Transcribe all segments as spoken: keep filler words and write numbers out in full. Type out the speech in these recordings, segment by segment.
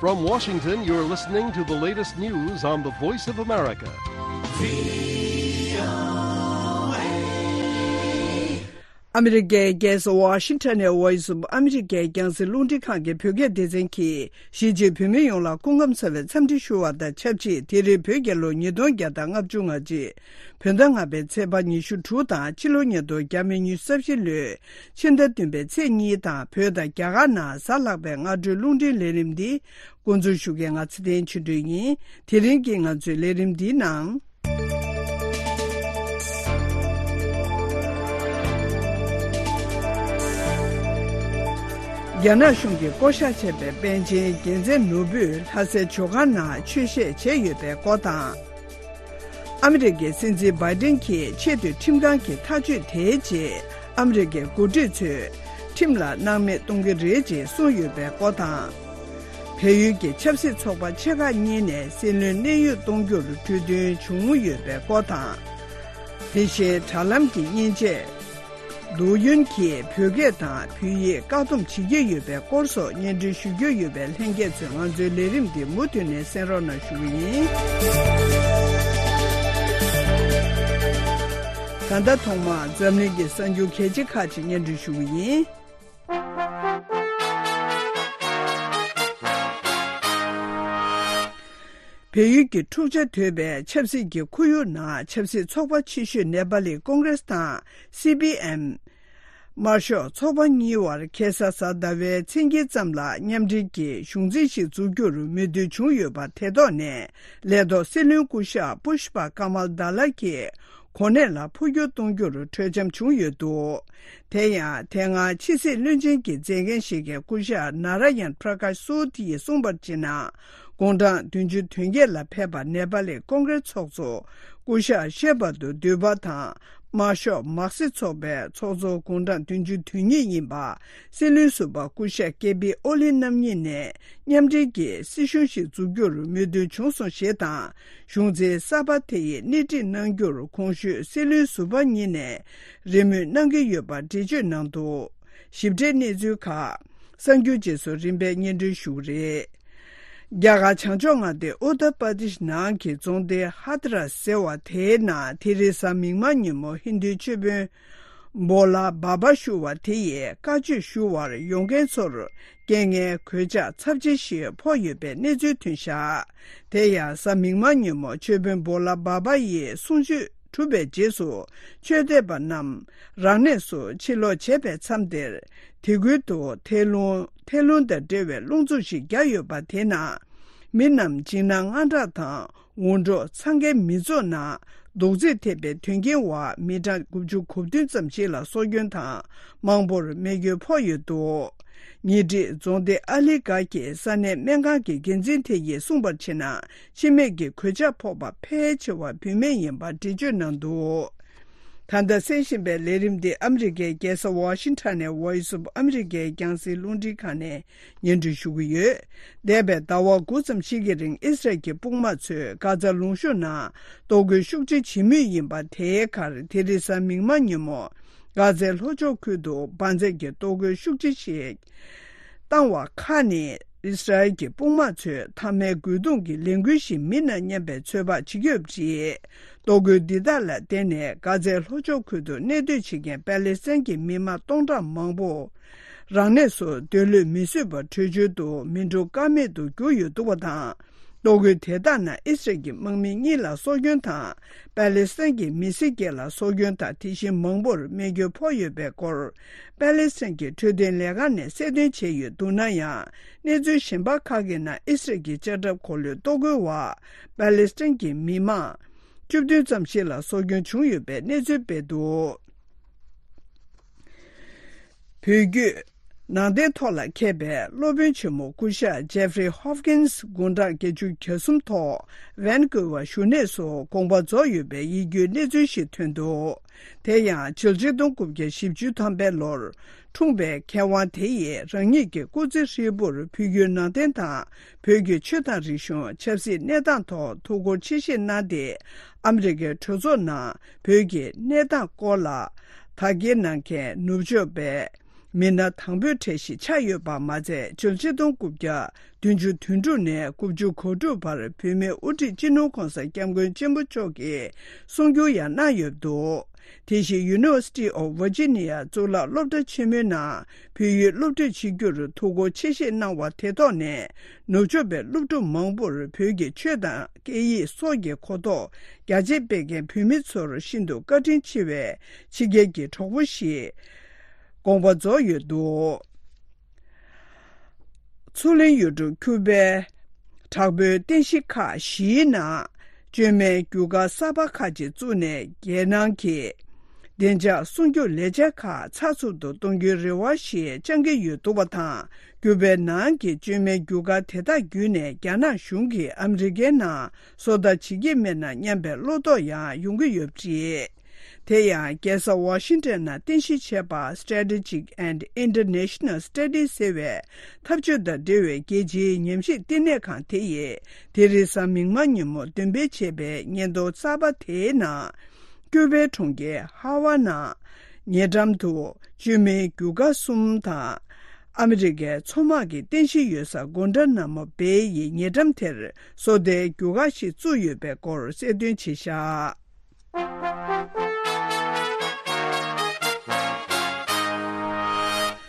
From Washington, you're listening to the latest news on the Voice of America. ཨ་མི་རི་ཀའི་རྒྱལ་ས་ཝ་ཤིང་ཊོན་ནས་Voice of America རྒྱང་སྲིང་རླུང་འཕྲིན་ཁང་གི་བོད་སྐད་སྡེ་ཚན་གྱིས་གཞིས་བྱེས་བོད་མི་ཡོངས་ལ་སྐུ་ཁམས་བཟང་བའི་འཚམས་འདྲི་ཞུ་བ་དང་ཆབས་ཅིག་དེ་རིང་བོད་རྒྱལ་ལོ་ཉིས་སྟོང་བརྒྱ་དང་ལྔ་བཅུ་ང་གཅིག་བོད་ཟླ་ལྔ་པའི་ཚེས་པ་ཉི་ཤུ་དྲུག་དང་ཕྱི་ལོ་ཉིས་སྟོང་ཉི་ཤུ་རྩ་བཞི་ལོའི་ཕྱི་ཟླ་བདུན་པའི་ཚེས་གཉིས་དང་བོད་དང་རྒྱ་གར་ནང་གཟའ་ལྷག་པའི་སྔ་དྲོའི་རླུང་འཕྲིན་ལས་རིམ་འདི་འགོ་འཛུགས་ཞུ་མཁན་ང་ཚེ་བརྟན་ཆོས་སྒྲོན་ཡིན། དེ་རིང་གི་ང་ཚོའི་ལས་རིམ་འདིའི་ནང་། རྒྱ་ནག་གཞུང་གིས་བསྐོ་བཞག་བྱས་པའི་པཎ་ཆེན་རྒྱལ་མཚན་ནོར་བུས་ལྷ་སའི་ཇོ་ཁང་ནང་ཆོས་བཤད་བྱས་ཡོད་པའི་སྐོར་དང་། ཨ་མི་རི་ཀའི་སྲིད་འཛིན་བྷའི་ཏིན་གྱིས་ཆེས་མཐོའི་ཁྲིམས་ཁང་གི་ཐག་གཅོད་དེའི་རྗེས་ཨ་མི་རི་ཀའི་འགོ་ཁྲིད་ཚོས་ཁྲིམས་ལ་སྣང་མེད་གཏོང་གི་རེད་ཅེས་གསུངས་ཡོད་པའི་སྐོར་དང་། བལ་ཡུལ་གྱི་ཆབ་སྲིད་ཚོགས་པ་ཆེ་ཁག་གཉིས་ནས་སྲིད་བློན་གནས་དབྱུང་གཏོང་རྒྱུར་གྲོས་མཐུན་བྱུང་ཡོད་པའི་སྐོར་དང་། དེ་བཞིན་དྲ་ལམ་གྱི་མཉེན་ཆས། ཌུའུ་ཡུན་གྱིས་བོད་སྐད་དང་བོད་ཡིག་བཀག་སྡོམ་བྱེད་ཀྱི་ཡོད་པའི་སྐོར་སོགས་སྙན་སྒྲོན་ཞུ་རྒྱུ་ཡོད་པས་ལྷན་རྒྱས་ཚོས་ང་ཚོའི་ལས་རིམ་འདི་མུ་མཐུད་ནས་གསན་རོགས་གནང་ཞུ་གི་ཡིན། ད་ལྟ་ཐོག་མར་འཛམ་གླིང་གི་གསར་འགྱུར་གལ་ཆེ་ཁག་ཅིག་སྙན་སྒྲོན་ཞུ་གི་ཡིན། བལ་ཡུལ་གྱི་འཁྲུག་ཆ་དོད་པའི་ཆབ་སྲིད་ཀྱི་ཁོར་ཡུག་ནང་ཆབ་སྲིད་ཚོགས་པ་ཆེ་ཤོས་ནེ་པ་ལི་ཀོང་རེས་དང་སི་པི་ཨེམ། དམར་ཤོག་ཚོགས་པ་གཉིས་བར་ཁ་སང་གཟའ་ཟླ་བའི་མཚན་དཀྱིལ་ཙམ་ལ་མཉམ་འབྲེལ་གྱི་གཞུང་འཛིན་ཞིག་འཛུགས་རྒྱུར་མོས་མཐུན་བྱུང་ཡོད་པ་དེ་ཐོག་ནས་ལས་ཐོག་སྲིད་བློན་སྐུ་ཞབས་པུཤ་པ་ཀ་མལ་དཱ་ལ་གྱིས་གོ་གནས་ལ་འཕོ་འགྱུར་གཏོང་རྒྱུར་གྲོས་འཆམ་བྱུང་ཡོད་འདུག་དེ་ཡང་དེ་སྔ་ཕྱི་སྲིད་བློན་ཆེན་གྱི་མཛད་འགན་བཞེས་མཁན་སྐུ་ཞབས་ན་ར་ཡན་པྲ་ཀཱཤ་སུ་ཏི་ཡིས་གསུངས་པར་བྱས་ན། དགུང་གྲངས་བདུན་ཅུ་དོན་བརྒྱད་ལ་ཕེབས་པ་ནེ་པ་ལི་ཀོང་རེས་ཚོགས་གཙོ་སྐུ་ཞབས་ཤེ་བྷ་དུ་དུ་བྷ་དང་། དམར་ཤོག་མར་སི་ཚོགས་པའི་ཚོགས་གཙོ་དགུང་གྲངས་བདུན་ཅུ་དོན་གཉིས་ཡིན་པ། སྲིད་བློན་ཟུར་པ་སྐུ་ཞབས་ཀེ་པི་ཨོ་ལི་རྣམ་གཉིས་ནས་མཉམ་འབྲེལ་གྱི་སྲིད་གཞུང་ཞིག་འཛུགས་རྒྱུར་མོས་མཐུན་བྱུང་སོང་ཞེས་དང་། གཞུང་འཛིན་གསར་པ་དེ་ཡིས་སྣེ་ཁྲིད་གནང་རྒྱུར་གོང་ཞུས་སྲིད་བློན་ཟུར་པ་གཉིས་ནས་རེ་མོས་གནང་གི་ཡོད་པ་འགྲེལ་བརྗོད་གནང་འདུག་ཞིབ་ཕྲའི་གནས་ཚུལ་ཁག་གསར་འགྱུར་རྗེས་སུ་རིམ་པས་སྙན་སྒྲོན་ཞུ་གི་རེད། རྒྱ་གར་བྱང་ཕྱོགས་མངའ་སྡེ་ཨུ་ཏར་པར་དིཤ་ནང་གི་རྫོང་སྡེ་ཧ་ཏི་ར་ཟེར་བ་དེའི་ནང་དེ་རིང་གཟའ་མིག་དམར་ཉིན་མོ་ཧིན་རྡུའི་ཆོས་དཔོན་བྷོ་ལ་བྷ་བྷ་ཞུ་བ་དེ་ཡིས་བཀའ་ཆོས་ཞུ་བར་ཡོང་མཁན་ཚོར་རྐྱེན་ངན་གོད་ཆག་ཚབས་ཆེ་ཞིག་ཕོག་ཡོད་པའི་གནས་ཚུལ་ཐོན་བཞག་དེ་ཡང་གཟའ་མིག་དམར་ཉིན་མོ་ཆོས་དཔོན་བྷོ་ལ་བྷ་བྷ་ཡི་གསུང་ཆོས་གྲུབ་པའི་རྗེས་སུ་ཆོས་དད་པ་རྣམས་རང་གནས་སུ་ཕྱིར་ལོག་བྱས་པའི་མཚམས་དེར། དེ་ཁུལ་དུ་ཐལ་རླུང་ཐལ་རླུང་དང་འབྲེལ་བའི་རླུང་འཚུབ་ཞིག་བརྒྱབ་ཡོད་པ་དེ་ནང་། མི་རྣམས་འཇིགས་སྣང་དངངས་སྐྲག་དང་འུར་སྒྲོག་འཚང་ཁའི་མི་ཚོགས་ནང་རྡོག་རྫིས་ཐེབས་པའི་དོན་རྐྱེན་འོག་མི་གྲངས་དགུ་བཅུ་གོ་བདུན་ཙམ་ཞིག་ལ་སྲོག་སྐྱོན་དང་མང་པོར་རྨས་སྐྱོན་ཕོག་ཡོད་འདུག་ཉེ་འཁྲིས་རྫོང་སྡེ་ཨ་ལི་གྷ་གི་ས་གནས་སྨན་ཁང་གི་འགན་འཛིན་དེ་ཡིས་གསུངས་པར་བྱས་ན། འཆི་རྨས་ཀྱི་གོད་ཆག་ཕོག་པ་ཕལ་ཆེ་བ་བུད་མེད་ཡིན་པ་འགྲེལ་བརྗོད་གནང་འདུག་ད་ལྟ་གསན་བཞིན་པའི་ལས་རིམ་འདི་ཨ་མི་རི་ཀའི་རྒྱལ་ས་ཝ་ཤིང་ཊོན་ནས་Voice of America རྒྱང་སྲིང་རླུང་འཕྲིན་ཁང་ནས་སྙན་སྒྲོན་ཞུ་གི་ཡོད། འདས་པའི་ཟླ་བ་དགུ་ཙམ་ཞིག་གི་རིང་ཨི་སི་རལ་གྱི་དཔུང་དམག་ཚོས་གྷ་ཛ་ལུང་གཤོང་ནང་གཏོར་རྒོལ་ཤུགས་ཆེ་བྱེད་མུས་ཡིན་པ་དེའི་ཁར་དེ་རིང་གཟའ་མིག་དམར་ཉིན་མོ་གྷ་ཛའི་ལྷོ་ཕྱོགས་ཁུལ་དུ་འབར་རྫས་ཀྱི་གཏོར་རྒོལ་ཤུགས་ཆེ་ཞིག་བཏང་བ་ཁག་ནི་ཨི་སི་རལ་གྱི་དཔུང་དམག་ཚོས་མཐའ་མའི་རྒོལ་རྡུང་གི་ལས་འགུལ་ཞིག་མིན་ན་སྙམ་པའི་ཚོད་དཔག་བྱེད་ཀྱི་ཡོད་པ་རེད། གཏོར་རྒོལ་འདི་དག་ལ་བརྟེན་ནས་གྷ་ཛའི་ལྷོ་ཕྱོགས་ཁུལ་དུ་གནས་སྡོད་བྱེད་མཁན་པ་ལེ་སི་ཐན་གྱི་མི་མང་སྟོང་ཕྲག་མང་པོ་རང་གནས་སུ་སྡོད་ལུས་མི་བཟོད་པར་བྲོས་བྱོལ་དུ་མི་འགྲོ་ཀ་མེད་དུ་གྱུར་ཡོད་འདུག་པ་དང་། གཏོར་རྒོལ་དེ་དག་ནང་ཨི་སི་རལ་གྱི་དམག་མི་གཉིས་ལ་སྲོག་སྐྱོན་དང་། པ་ལེ་སི་ཐན་གྱི་མི་སེར་བརྒྱད་ལ་སྲོག་སྐྱོན་དང་དེ་བཞིན་མང་པོར་རྨས་སྐྱོན་ཕོག་ཡོད་པའི་སྐོར། པ་ལེ་སི་ཐན་གྱི་འཕྲོད་བསྟེན་ལས་ཁང་ནས་གསལ་སྟོན་བྱས་ཡོད་འདུག་ན་ཡང་། གནས་ཚུལ་གཞན་པ་ཁག་གི་ནང་ཨི་སི་རལ་གྱི་ལྕགས་ཁྲབ་འཁོར་ལོའི་གཏོར་རྒོལ་འོག་པ་ལེ་སི་ཐན་གྱི་མི་མང་བཅུ་བདུན་ཙམ་ཞིག་ལ་སྲོག་སྐྱོན་བྱུང་ཡོད་པའི་གནས་ཚུལ་སྤེལ་འདུག་བོད་བརྒྱུད་ནང་བསྟན་ཐོག་ལ་མཁས་པའི་སློབ་དཔོན་ཆེན་མོ་སྐུ་ཞབས་ཇེ་ཕི་རི་ཧོབ་ཀིན་སི་དགུང་གྲངས་བརྒྱད་ཅུ་གྱ་གསུམ་ཐོག་ཝན་ཀུ་ཝར་བཞུགས་གནས་སུ་དགོངས་པ་རྫོགས་ཡོད་པའི་ཡིད་སྐྱོའི་གནས་ཚུལ་ཞིག་ཐོན་འདུག་དེ་ཡང་ཕྱི་ལོ་ཆིག་སྟོང་དགུ་བརྒྱ་བཞི་བཅུ་ཐམ་པའི་ལོར་འཁྲུངས་པའི་མཁས་དབང་དེ་ཡིས་རང་ཉིད་ཀྱི་སྐུ་ཚེ་ཧྲིལ་པོར་བོད་བརྒྱུད་ནང་བསྟན་དང་བོད་ཀྱི་ཆོས་དང་རིག་གཞུང་ཆབ་སྲིད་གནས་སྟངས་ཐོག་ཐུགས་ཁུར་ཆེ་བཞེས་གནང་སྟེ། ཨ་མི་རི་ཀའི་གྲོས་ཚོགས་ནང་བོད་ཀྱི་གནས་སྟངས་སྐོར་ལ་དག་སྐྱེལ་གནང་མཁན་ནུབ་ཕྱོགས་པའི་ མི་སྣ་དང་པོའི་གྲས་ཤིག་ཆགས་ཡོད་པ་མ་ཟད། ཕྱི་ལོ་ཆིག་སྟོང་དགུ་བརྒྱ་བདུན་ཅུ་དོན་དྲུག་ནས་དགུ་བཅུ་གོ་དྲུག་བར་བོད་མིའི་དབུ་ཁྲིད་སྤྱི་ནོར་༧གོང་ས་༧སྐྱབས་མགོན་ཆེན་པོ་མཆོག་གིས་གསུང་སྒྱུར་ཡང་གནང་ཡོད་འདུག་དེ་བཞིན་University of Virginia གཙུག་ལག་སློབ་གྲྭ་ཆེན་མོའི་ནང་བོད་ཡིག་སློབ་ཁྲིད་བྱེད་རྒྱུར་ཐུགས་ཁུར་ཆེ་བཞེས་གནང་བ་དེ་ཐོག་ནས། ནུབ་ཕྱོགས་པའི་སློབ་ཕྲུག་མང་པོར་བོད་ཀྱི་ཆོས་དང་སྐད་ཡིག་སོགས་ཀྱི་གོ་རྟོགས་རྒྱ་ཆེ་སྤེལ་མཁན་བོད་མི་ཚོར་ཤིན་ཏུ་བཀའ་དྲིན་ཆེ་བའི་ཕྱི་རྒྱལ་གྱི་གྲོགས་པོ་ཞིག་དགོངས་པ་རྫོགས་ཡོད་འདུག་མཚོ་གླིང་ཡུལ་གྲུ་ཁྱུ་པའི་དྲག་པོའི་རྟེན་གཞི་ཁག་བཞིའི་ནང་བཅོས་མའི་རྒྱུ་སྐར་གསར་པ་ཁག་ཅིག་བཙུགས་ནས། རྒྱལ་ནང་གི་བདེ་འཇགས་སྲུང་སྐྱོབ་ལས་འཆར་ཁག་ཚགས་ཚུད་དུ་གཏོང་རྒྱུའི་རེ་བ་ཞིག་བཅང་གི་ཡོད་འདུག་པ་དང་། ཀྱུ་པའི་ནང་གི་བཅོས་མའི་རྒྱུ་སྐར་དེ་དག་བརྒྱུད་ནས་རྒྱ་ནག་གཞུང་གིས་ཨ་མི་རི་ཀའི་ནང་སོ་ལྟ་བྱེད་ཀྱི་མེད་ན་སྙམ་པའི་བློ་དོགས་ཡང་ཡོང་གི་ཡོད་པ་རེད། དེ་ཡང་རྒྱལ་ས་ཝ་ཤིང་ཊོན་ནང་རྟེན་གཞི་བྱས་པ་Strategic and International Studies ཟེར་བའི་འཐབ་ཇུས་དང་འབྲེལ་བའི་རྒྱལ་སྤྱིའི་ཉམས་ཞིབ་བསྟི་གནས་ཁང་དེ་ཡིས་དེ་རིང་གཟའ་མིག་དམར་ཉིན་མོ་འདོན་སྤེལ་བྱས་པའི་སྙན་ཐོ་གསར་པ་དེའི་ནང་། ཀྱུ་པའི་གྲོང་ཁྱེར་ཧ་ཝ་ནང་ཉེ་འགྲམ་དུ་བཅོས་མའི་རྒྱུ་སྐར་གསུམ་དང་། ཨ་མི་རི་ཀའི་མཚོ་དམག་གི་རྟེན་གཞི་ཡོད་ས་གོན་ཊ་ན་མོ་བེ་ཡི་ཉེ་འགྲམ་དེར་སོ་ལྟའི་རྒྱུ་སྐར་ཞིག་བཙུགས་ཡོད་པའི་སྐོར་གསལ་སྟོན་བྱས་བཞག་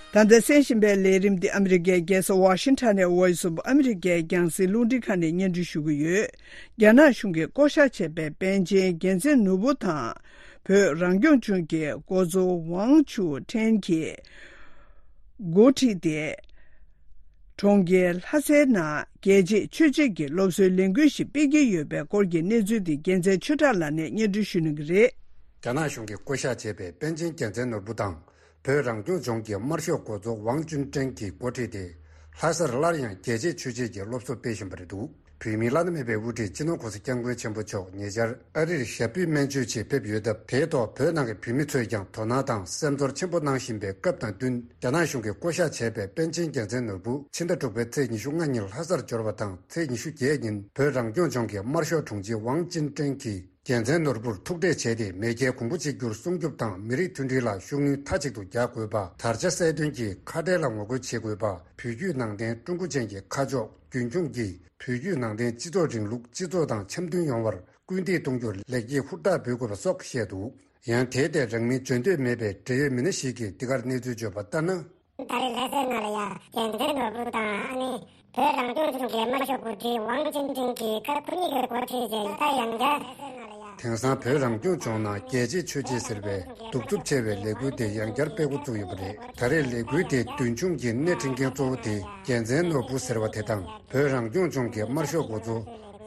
ད་ལྟ་གསན་བཞིན་པའི་ལས་རིམ་འདི་ཨ་མི་རི་ཀའི་རྒྱལ་ས་ཝ་ཤིང་ཊོན་ནས་Voice of America རྒྱང་སྲིང་རླུང་འཕྲིན་ཁང་ནས་སྙན་སྒྲོན་ཞུ་གི་ཡོད། རྒྱ་ནག་གཞུང་གིས་བསྐོ་བཞག་བྱས་པའི་པཎ་ཆེན་རྒྱལ་མཚན་ནོར་བུ་དང་། བོད་རང་སྐྱོང་ལྗོངས་ཀྱི་འགོ་གཙོ་ཝང་ཅུན་ཀྲེང་གིས་འགོ་ཁྲིད་དེ། གྲོང་ཁྱེར་ལྷ་སའི་ནང་རྒྱལ་གཅེས་ཆོས་གཅེས་ཀྱི་སློབ་གསོའི་ལས་འགུལ་ཞིག་སྤེལ་གྱི་ཡོད་པའི་སྐོར་གྱི་གནས་ཚུལ་དེ་རྒྱལ་མཚན་ཆོས་གྲགས་ལགས་ནས་སྙན་སྒྲོན་ཞུ་གནང་གི་རེད། རྒྱ་ནག་གཞུང་གིས་བསྐོ་བཞག་བྱས་པའི་པཎ་ཆེན་རྒྱལ་མཚན་ནོར་བུ་དང་། བོད་རང་སྐྱོང་ལྗོངས་ཀྱི་དམར་ཤོག་འགོ་གཙོ་ཝང་ཅུན་ཀྲེང་གིས་འགོ་ཁྲིད་དེ། ལྷ་སར་སླར་ཡང་རྒྱལ་གཅེས་ཆོས་གཅེས་ཀྱི་སློབ་གསོ་སྤེལ་བཞིན་པ་རེད་འདུག་བོད་མིའི་བླ་ན་མེད་པའི་དབུ་ཁྲིད་སྤྱི་ནོར་༧གོང་ས་༧སྐྱབས་མགོན་ཆེན་པོ་མཆོག་ཉེ་ཆར་ཨ་རིར་ཞབས་པུས་སྨན་བཅོས་ཆེད་ཕེབས་ཡོད་སྟབས། དེའི་ཐོག་བོད་ནང་གི་བོད་མི་ཚོས་ཀྱང་དོ་སྣང་དང་སེམས་ཚོར་ཆེན་པོ་གནང་བཞིན་པའི་སྐབས་དང་བསྟུན། རྒྱ་ནག་གཞུང་གིས་བསྐོ་བཞག་བྱས་པའི་པཎ་ཆེན་རྒྱལ་མཚན་ནོར་བུ་ཕྱི་ཟླ་དྲུག་པའི་ཚེས་ཉི་ཤུ་ལྔ་ཉིན་ལྷ་སར་འབྱོར་བ་དང་། ཚེས་ཉི་ཤུ་བརྒྱད་ཉིན་བོད་རང་སྐྱོང་ལྗོངས་ཀྱི་དམར་ཤོག་དྲུང་ཆེ་ཝང་ཅིན་ཀྲེང་གིས། རྒྱལ་མཚན་ནོར་བུར་ཐུག་འཕྲད་བྱས་ཏེ། མེས་རྒྱལ་གོང་བུ་གཅིག་གྱུར་སྲུང་སྐྱོབ་དང་། མི་རིགས་མཐུན་སྒྲིལ་ལ་ཤུགས་སྣོན་མཐའ་གཅིག་ཏུ་རྒྱག་དགོས་པ། དར་ཆ་གསལ་སྟོན་གྱིས་ཁ་བྲལ་ལ་ངོ་རྒོལ་བྱེད་དགོས་པ། བོད་བརྒྱུད་ནང་བསྟན་ཀྲུང་གོ་ཅན་གྱི་ཁ་ཕྱོགས་རྒྱུན་འཁྱོངས་ཀྱིས། བོད་བརྒྱུད་ནང་བསྟན་སྤྱི་ཚོགས་རིང་ལུགས་སྤྱི་ཚོགས་དང་འཆམ་མཐུན་ཡོང་བར་སྐུལ་འདེད་གཏོང་རྒྱུར་ལེགས་སྐྱེས་ཧུར་ཐག་འབུལ་དགོས་པ་སོགས་བཤད་འདུག་ཡང་དེའི་ཐད་རང་མིང་བརྗོད་འདོད་མེད་པའི་འབྲེལ་ཡོད་མི་སྣ་ཞིག་གིས་འདི་གར་གནས་ཚུལ་བརྗོད་པ་ལྟར་ན། ད་རེས་ལྷ་སའི་ནང་ལ་ཡ་རྒྱལ་མཚན་ནོར་བུ་དང་ཨ་ནི་བོད་རང་སྐྱོང་ལྗོངས་ཀྱི་དམར་ཤོག་འགོ་ཁྲིད་ཝང་ཅིན་ཀྲིང་གིས་ཁ་ཁོ་གཉིས་ཀྱི་འགོ་ཁྲིད་བྱས་ཡིན་ད་ཡང་བསྐྱར། དེང་སང་བོད་རང་སྐྱོང་ལྗོངས་ནང་རྒྱལ་གཅེས་ཆོས་གཅེས་ཟེར་བའི་གདུག་རྩུབ་ཆེ་བའི་ལས་འགུལ་དེ་ཡང་བསྐྱར་སྤེལ་འགོ་བཙུགས་ཡོད་པ་རེད། ད་རེས་ལས་འགུལ་དེ་མདུན་མཆོང་གི་སྣེ་ཁྲིད་མཁན་གཙོ་བོ་དེ་རྒྱལ་མཚན་ནོར་བུ་ཟེར་བ་དེ་དང་། བོད་རང་སྐྱོང་ལྗོངས་ཀྱི་དམར་ཤོག་འགོ་གཙོ་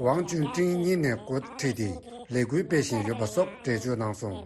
ཝང་ཅུན་ཀྲིང་གཉིས་ནས་འགོ་ཁྲིད་དེ་ལས་འགུལ་སྤེལ་བཞིན་ཡོད་པ་སོགས་འགྲེལ་བརྗོད་གནང་སོང་།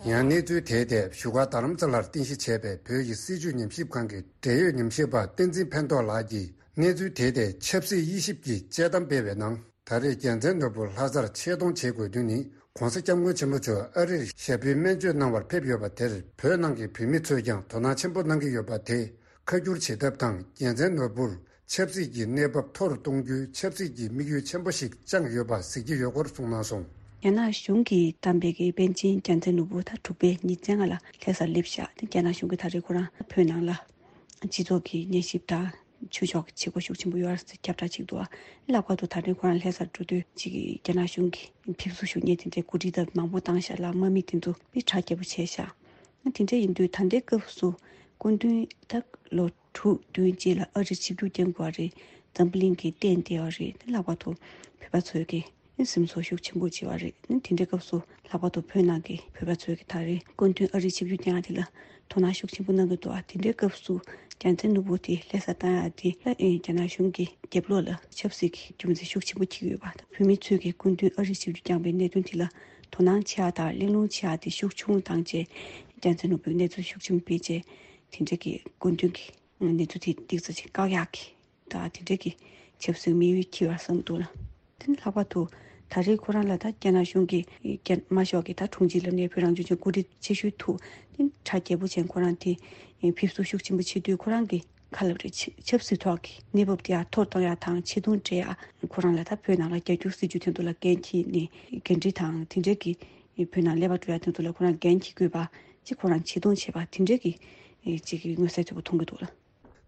ཡང་གནས་ཚུལ་དེའི་ཐད་བཞུགས་སྒར་རྡ་རམ་ས་ལར་རྟེན་གཞི་བྱས་པའི་བོད་ཀྱི་སྲིད་བྱུས་ཉམས་ཞིབ་ཁང་གི་འབྲེལ་ཡོད་ཉམས་ཞིབ་པ་བསྟན་འཛིན་ཕན་ཐོགས་ལགས་ཀྱིས། གནས་ཚུལ་དེའི་ཐད་ཆབ་སྲིད་དབྱེ་ཞིབ་ཀྱི་དཔྱད་གཏམ་སྤེལ་བའི་ནང་། ད་རེས་རྒྱལ་མཚན་ནོར་བུ་ལྷ་སར་ཆེད་གཏོང་བྱེད་དགོས་དོན་ནི། ༸གོང་ས་༸སྐྱབས་མགོན་ཆེན་པོ་མཆོག་ཨ་རིར་ཞབས་པུའི་སྨན་བཅོས་གནང་བར་ཕེབས་ཡོད་པ་དེར། བོད་ནང་གི་བོད་མི་ཚོས་ཀྱང་དོ་སྣང་ཆེན་པོ་གནང་གི་ཡོད་པ་དེ་ཁ་བསྒྱུར་བྱེད་ཐབས་དང་། རྒྱལ་མཚན་ནོར་བུར་ཆབ་སྲིད་ཀྱི་གནས་བབ་མཐོ་རུ་གཏོང་རྒྱུའི་ཆབ་སྲིད་ཀྱི་དམིགས་ཡུལ་ཆེན་པོ་ཞིག་བཅངས་ཡོད་པ་གཟིགས་ཀྱི་ཡོད་སྐོར་གསུངས་གནང་སོང་། རྒྱ་ནག་གཞུང་གིས་བདམས་པའི་གི་པཎ་ཆེན་རྒྱལ་མཚན་ནོར་བུ་ད་དྲུག་པའི་ཉིན་མཚན་ལྔ་ལ་ལྷ་སར་སླེབས་ཤག་དེ་རྒྱ་ནག་གཞུང་གིས་ད་རེས་ཁོ་རང་བོད་ནང་ལ་སྤྱི་ཚོགས་ཀྱི་ཉམས་ཞིབ་དང་ཆོས་ཕྱོགས་ཀྱི་བྱེད་སྒོ་ཤུགས་ཆེན་པོ་ཡོད་རེད་ཟེར་ཁྱབ་བསྒྲགས་བྱེད་འདུག་ལྷག་པར་དུ་ད་རེས་ཁོ་རང་ལྷ་སར་འགྲོ་དུས་ཅིག་རྒྱ་ནག་གཞུང་གིས་ཕེབས་བསུ་ཞུ་མཁན་དེ་འདྲའི་གོ་སྒྲིག་དང་མང་པོ་བཏང་ཤག་ལ་དམག་མི་དེ་ཚོ་དཔེ་གྲ་རྒྱས་པོ་བྱས་ཤག་དེ་འདྲ་ཡིན་དུས་ད་ལྟའི་སྐབས་སུ་སྐུ་མདུན་ད་ལོ་དྲུག་བདུན་རྗེས་ལ་ཨ་རིར་ཆིབས་བསྒྱུར་བསྐྱོན་དགོས་པ་རེད། འཛམ་བུ་གླིང་གིས་བསྟན་བསྡད་པ་རེད། ལྷག་པར་དུ་བོད་པ་ཚོས་ཀྱི་སེམས་ཚོར་ཤུགས་ཆེན་པོ་བྱེད་པ་རེད། དེ་འདྲའི་སྐབས་སུ་ལྷག་པར་དུ་བོད་ནང་གི་བོད་པ་ཚོས་ཀྱི་ད་རེས་སྐུ་མདུན་ཨ་རིར་ཆིབས་བསྒྱུར་བསྐྱོན་ཡག་དེ་ལ་དོ་སྣང་ཤུགས་ཆེན་པོ་གནང་གི་འདུག་དེ་འདྲའི་སྐབས་སུ་རྒྱལ་མཚན་ནོར་བུ་དེ་ལྷ་སར་བཏང་ཡག་དེ་ལ་ཨེ་རྒྱ་ནག་གཞུང་གིས་རྒྱབ་ལོགས་ལ་ཆབ་སྲིད་ཀྱི་རྒྱུ་མཚན་ཤུགས་ཆེན་པོ་འཁྱེར་གྱི་ཡོད་པ་དང་། བོད་མི་ཚོས་ཀྱི་སྐུ་མདུན་ཨ་རིར་ཆིབས་བསྒྱུར་བསྐྱངས་པའི་གནད་དོན་དེ་ལ་དོ་སྣང་བྱེད་ཡག་དང་གླེང་སློང་བྱེད་ཡག་དེ་ཤུགས་ཆུང་བཏང་བྱས། རྒྱལ་མཚན་ནོར་བུས་གནས་ཚུལ་ཤུགས་ཆེན་པོ་སྤེལ་བྱས། དེ་འདྲ་གི་སྐུ་མདུན་གྱི་གནས་ཚུལ་དེ་ཏོག་ཙམ་ཅིག་བཀག་ཡག་གི་ད་དེ་འདྲ་གི་ཆབ་སྲིད་དམིགས་ཡུལ་འཁྱེར་བ་བསམ་འདུག་ལ། དེ་ནི་ལྷག་པར་དུ་ད་རེས་ཁོ་རང་ལ་ད་རྒྱ་ནག་གཞུང་གིས་རྒྱ་དམར་ཤོག་གི་ད་དྲུང་ཆེ་ལ་ནས་བོད་རང་སྐྱོང་ལྗོངས་འགོ་ཁྲིད་ཆེ་ཤོས་ཐུག་དེ་ནི་གྲ་རྒྱས་པོ་བྱས་ཁོ་རང་དེ་ཕེབས་བསུ་ཤུགས་ཆེན་པོ་བྱེད་དུས་ཁོ་རང་གི་ག་ལབ་རེད། ཆ་ཆབ་སྲིད་ཐོག་གི་གནས་བབ་དེ་ཡར་མཐོར་གཏོང་ཡག་དང་ཆེ་མཐོང་སྤྲད་ཡག་ཁོ་རང་ལ་ད་བོད་ནང་ལ་རྒྱ་སྒྱུར་སྲིད་ཇུས་དེ་ཚོ་ལ་འགན་འཁྱེར་ནས་འགན་འཁྲི་དང་དེ་འདྲ་གི་བོད་ནང་ཀླད་པ་འགྲོ་ཡག་དེ་ཚོ་ལ་ཁོ་རང་འགན་འཁྱེར་དགོས་པ་ཅིག་ཁོ་རང་ཆེ་མཐོང་བྱས་པ་དེ་འདྲ་གི་ ཨེ་ཅིག་གི་མངོན་གསལ་དོད་པོ་མཐོང་གི་འདུག་ལ།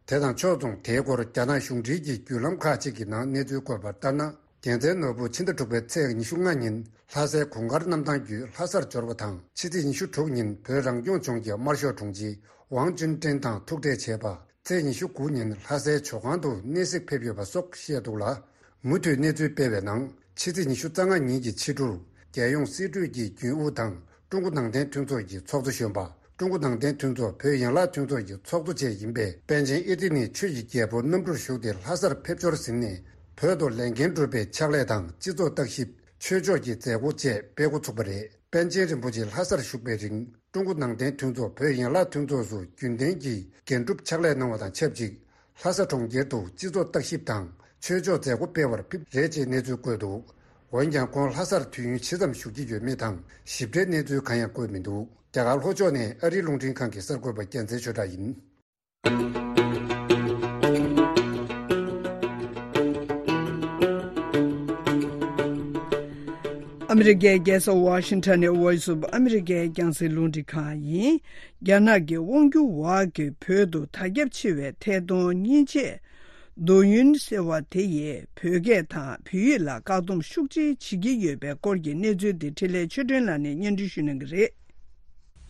དེ་དང་ཕྱོགས་མཚུངས། དེའི་སྐོར་རྒྱ་ནག་གཞུང་འབྲེལ་གྱི་བརྒྱུད་ལམ་ཁག་ཅིག་གི་ནང་གནས་ཚུལ་བཀོད་པ་ལྟར་ན། རྒྱལ་མཚན་ནོར་བུ་ཕྱི་ཟླ་དྲུག་པའི་ཚེས་ཉི་ཤུ་ལྔ་ཉིན་ལྷ་སའི་གུང་དཀར་གནམ་ཐང་བརྒྱུད་ལྷ་སར་འབྱོར་བ་དང་། ཕྱི་ཚེས་ཉི་ཤུ་དྲུག་ཉིན་བོད་རང་སྐྱོང་ལྗོངས་ཀྱི་དམར་ཤོག་དྲུང་ཆེ་ཝང་ཅུན་ཀྲེང་དང་ཐུག་འཕྲད་བྱས་པ། ཚེས་ཉི་ཤུ་དགུ་ཉིན་ལྷ་སའི་ཇོ་ཁང་དུ་གནས་གཟིགས་ཕེབས་ཡོད་པ་སོགས་བཤད་འདུག་ལ། མུ་མཐུད་གནས་ཚུལ་སྤེལ་བའི་ནང་། ཕྱི་ཚེས་ཉི་ཤུ་རྩ་ལྔ་ཉིན་གྱི་ཕྱི་དྲོར། རྒྱལ་ཡོངས་སྲིད་གྲོས་ཀྱི་རྒྱུན་ཨུ་དང་། ཀྲུང་གོ་ནང་བསྟན་མཐུན་ཚོགས་ཀྱི་ཚོགས་གཙོ་གཞོན་པ། ཀྲུང་གོ་ནང་བསྟན་མཐུན་ཚོགས་བོད་ཡན་ལག་མཐུན་ཚོགས་ཀྱི་ཚོགས་གཙོ་བཅས་ཡིན་པའི་པཎ་ཆེན་ཨེ་ཏི་ནི་ཆོས་ཀྱི་རྒྱལ་པོ་རྣམ་གྲོལ་བཞུགས་ཏེ་ལྷ་སར་ཕེབས་འབྱོར་ཟིན་ནས། བོད་དུ་ལས་འགན་སྒྲུབ་པའི་ཕྱག་ལས་དང་། སྤྱི་ཚོགས་བརྟག་ཞིབ། ཆོས་ཕྱོགས་ཀྱི་མཛད་སྒོ་བཅས་སྤེལ་འགོ་ཚུགས་པ་རེད། པཎ་ཆེན་རིན་པོ་ཆེ་ལྷ་སར་བཞུགས་པའི་རིང་། ཀྲུང་གོ་ནང་བསྟན་མཐུན་ཚོགས་བོད་ཡན་ལག་མཐུན་ཚོགས་སུ་རྒྱུན་ལྡན་གྱི་འགན་སྒྲུབ་ཕྱག་ལས་གནང་བ་དང་ཆབས་ཅིག་ལྷ་ས་གྲོང་ཁྱེར་དུ་སྤྱི་ཚོགས་བརྟག་ཞིབ་དང་། ཆོས་ཕྱོགས་མཛད་སྒོ་སྤེལ་བར་ཕེབས་རེད་ཅེས་གནས་ཚུལ་བཀོད་འདུག་འོན་ཀྱང་། ཁོང་ལྷ་སར་དུས་ཡུན་ཇི་ཙམ་བཞུགས་ཀྱི་ཡོད་མེད་དང་། ཞིབ་ཕྲའི་གནས་ཚུལ་གང་ཡང་བཀོད་མི་འདུག་རྒྱ་གར་ལྷོ་ཕྱོགས་ནས་ཨ་རིའི་རླུང་འཕྲིན་ཁང་གི་གསར་འགོད་པ་རྒྱལ་མཚན་ཆོས་གྲགས་ཡིན། ཨ་མི་རི་ཀའི་རྒྱལ་ས་ཝ་ཤིང་ཊོན་ནས་Voice of America་རྒྱང་སྲིང་རླུང་འཕྲིན་ཁང་ཡིན། རྒྱ་ནག་གི་དབང་སྒྱུར་འོག་གི་བོད་དུ་དར་ཁྱབ་ཆེ་བའི་ཐད་གཏོང་མཉེན་ཆས། དོ་ཡོན་ཟེར་བ་དེ་ཡིས་བོད་སྐད་དང་བོད་ཡིག་ལ་བཀག་སྡོམ་ཤུགས་ཆེ་བྱེད་ཀྱི་ཡོད་པའི་སྐོར་གྱི་གནས་ཚུལ་འདི་འཕྲིན་ལས་ཆོས་སྒྲོན་ལགས་ནས་སྙན་སྒྲོན་ཞུ་གནང་གི་རེད།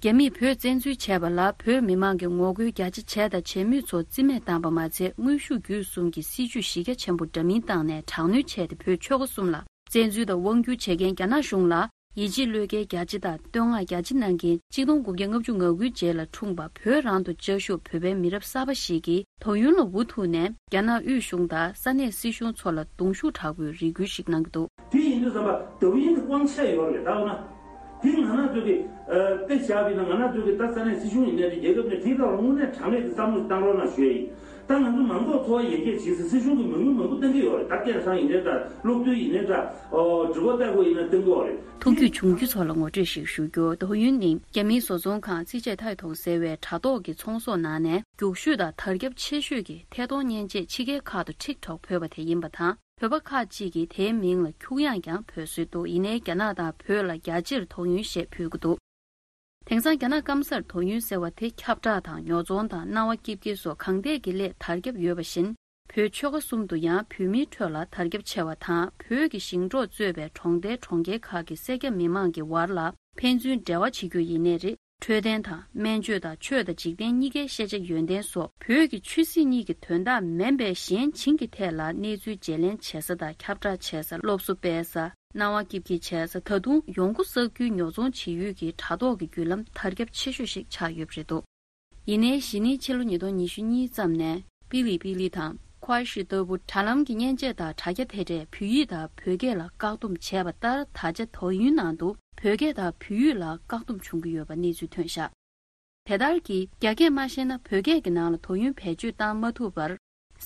རྒྱ་མིས་བོད་བཙན་འཛུལ་བྱས་པ་ལ་བོད་མི་མང་གིས་ངོ་རྒོལ་རྒྱ་ཆེ་བྱས་དང་བྱེད་མུས་ཚོ་རྩིས་མེད་བཏང་པ་མ་ཚད། དངོས་ཤུགས་བརྒྱུད་གསུམ་གྱི་སྲིད་བྱུས་གཞི་རྒྱ་ཆེན་པོ་འདྲ་མིན་བཏང་ནས་དྲག་གནོན་བྱས་ཏེ། བོད་ཆོལ་ཁ་གསུམ་ལ་བཙན་འཛུལ་དང་དབང་བསྒྱུར་བྱེད་མཁན་རྒྱ་ནག་གཞུང་ལ་ཡིད་ཆེས་བློས་འགེལ་རྒྱ་ཆེ་དང་བསྟོད་བསྔགས་རྒྱ་ཆེ་གནང་མཁན། གཅིག་སྟོང་དགུ་བརྒྱ་ལྔ་བཅུ་ང་དགུའི་རྗེས་ལ་འཁྲུངས་པ་བོད་རང་དུ་བཅའ་བཞུགས་བོད་པའི་མི་རབས་གསར་པ་ཞིག་གིས་དོ་ཡོན་ལ་འུ་ཐུག་ནས། རྒྱ་ནག་དབུས་གཞུང་དང་ས་གནས་སྲིད་གཞུང་ཚོ་ལ་གདུང་ཤུགས་དྲག་པོའི་རེ་སྐུལ་ཞིག་གནང་གི་འདུག་དེ་ཡིན་དུས་ཙམ་པ་དོ་ཡོན་གྱི་དབང་ཆ་ཡོད་རེད། ད་འོ་ན་དེ་ང་རང་ཚོ་གི་ཨ་དཔེ་བཞག་པ་ཡིན་ན། ང་རང་ཚོ་གི་ད་ས་གནས་སྲིད་གཞུང་ཡིན་ནའི་རེད། རྒྱལ་ཁབ་ནས་དེའི་སྐབས་ལ་དངོས་གནས་དྲང་གནས་ཀྱི་བསམ་བློ་ཞིག་བཏང་རོགས་གནང་ཞུ་ཡ་ཡིན། ད་ང་ཚོ་མང་ཚོགས་འཚོ་བ་ཡར་རྒྱས་བྱེད་སའི་སྲིད་གཞུང་གི་མ་དངུལ་མང་པོ་གཏང་གི་ཡོད་རེད། ད་སྐད་གྲགས་ཡིན་ནའི་འདྲ། གློག་རྡུལ་ཡིན་ནའི་འདྲ། ཨོ་འགྲུལ་པ་ལྟ་སྐོར་ཡིན་ན་གཏང་གི་ཡོད་རེད། ཐུགས་རྒྱུས་ཆུང་རྒྱུ་ཚོ་ལ་ངོ་སྤྲོད་ཞིག་ཞུ་རྒྱུ། དོ་ཡོན་ནི་རྒྱ་མིའི་བཟོ་ཚོང་ཁང་ཙི་ཅེ་ཐའེ་ཐོང་ཟེར་བའི་དྲ་ཐོག་གི་ཚོང་ཟོག་ནང་ནས་རྒྱུགས་ཤོས་དང་དར་ཁྱབ་ཆེ་ཤོས་ཀྱི་ཐད་གཏོང་མཉེན་ཆས་ཕྱི་རྒྱལ་ཁག་ཏུ་ཁྲིག་ཐོག་འབོད་པ་དེ་ཡིན་པ་དང་། བོད་པ་ཁག་ཅིག་གིས་དེའི་མིང་ལ་འཁྱུག་དབྱངས་ཀྱང་འབོད་སྲོལ་འདུག་ཡིན་ནའི་རྒྱ་ནག་དང་བོད་ལ་རྒྱ་ཆེར་དོ་ཡོན་ཞེས་འབོད་ཀྱི་འདུག་དེང་སང་རྒྱ་ནག་སྐམ་སར་དོ་ཡོན་ཟེར་བ་དེ་ཁྱབ་བསྒྲགས་དང་ཉོ་ཚོང་དང་སྣང་བ་སྐྱིད་སྐྱིད་སོགས་གང་ཐད་ཀྱི་སླད་དར་ཁྱབ་ཡོད་པ་བཞིན། བོད་ཆོལ་ཁ་གསུམ་དུ་ཡང་བོད་མིའི་ཁྲོད་ལ་དར་ཁྱབ་ཆེ་བ་དང་། བོད་ཀྱི་ཞིང་འབྲོག་གཙོས་པའི་གྲོང་རྡལ་གྲོང་ཁྱེར་ཁག་གི་སེར་སྐྱ་མི་མང་གི་བར་ལ་ཕན་ཚུན་འབྲེལ་བ་བྱེད་རྒྱུ་ཡིན་ནའི་རེད། འཕྲོད་བསྟེན་དང་སྨན་བཅོས་དང་ཆོས་དང་འཇིག་རྟེན་གཉིས་ཀའི་ཤེས་བྱ་ཡོན་ཏན་སོགས། བོད་ཀྱི་ཆོས་སྲིད་གཉིས་ཀྱི་དོན་དག་མིན་པའི་གཞན་བྱིངས་ཀྱི་ཐད་ལ་གནས་ཚུལ་བརྗེ་ལེན་བྱེད་ས་དང་ཁྱབ་བསྒྲགས་བྱེད་ས། སློབ་གསོ་སྤེལ་ས། སྣང་བ་སྐྱིད་སྐྱིད་བྱེད་ས། ད་དུང་ཡོང་སྒོ་བསགས་རྒྱུའི་ཉོ་ཚོང་བྱེད་ཡུལ་གྱི་དྲ་ཐོག་གི་བརྒྱུད་ལམ་དར་ཁྱབ་ཆེ་ཤོས་ཤིག་ཆགས་ཡོད་པ་རེད་འདུག་ཡིན་ནའི་གཞེས་ནིང་ཕྱི་ལོ་ཉིས་སྟོང་ཉི་ཤུ་གཉིས་ཙམ་ནས་པི་ལི་པི་ལི་དང་ཁུའེ་ཤི་ལྟ་བུ་དྲ་ལམ་གྱི་མཉེན་ཆས་དང་དྲ་རྒྱ་དེ་འདྲས་བོད་ཡིག་དང་བོད་སྐད་ལ་བཀག་སྡོམ་བྱས་པ་ལྟར། ད་ཆ་དོ་ཡོན་ནང་དུ་བོད་སྐད་དང་བོད་ཡིག་ལ་བཀག་སྡོམ་བྱུང་གི་ཡོད་པ་གནས་ཚུལ་ཐོན་ཤག་དེ་ལྟར་གྱིས་རྒྱ་སྐད་མ་ཤེས་ན་བོད་སྐད་ཀྱི་ནང་ལ་དོ་ཡོན་བེད་སྤྱོད་བཏང་མ་ཐུབ་པར།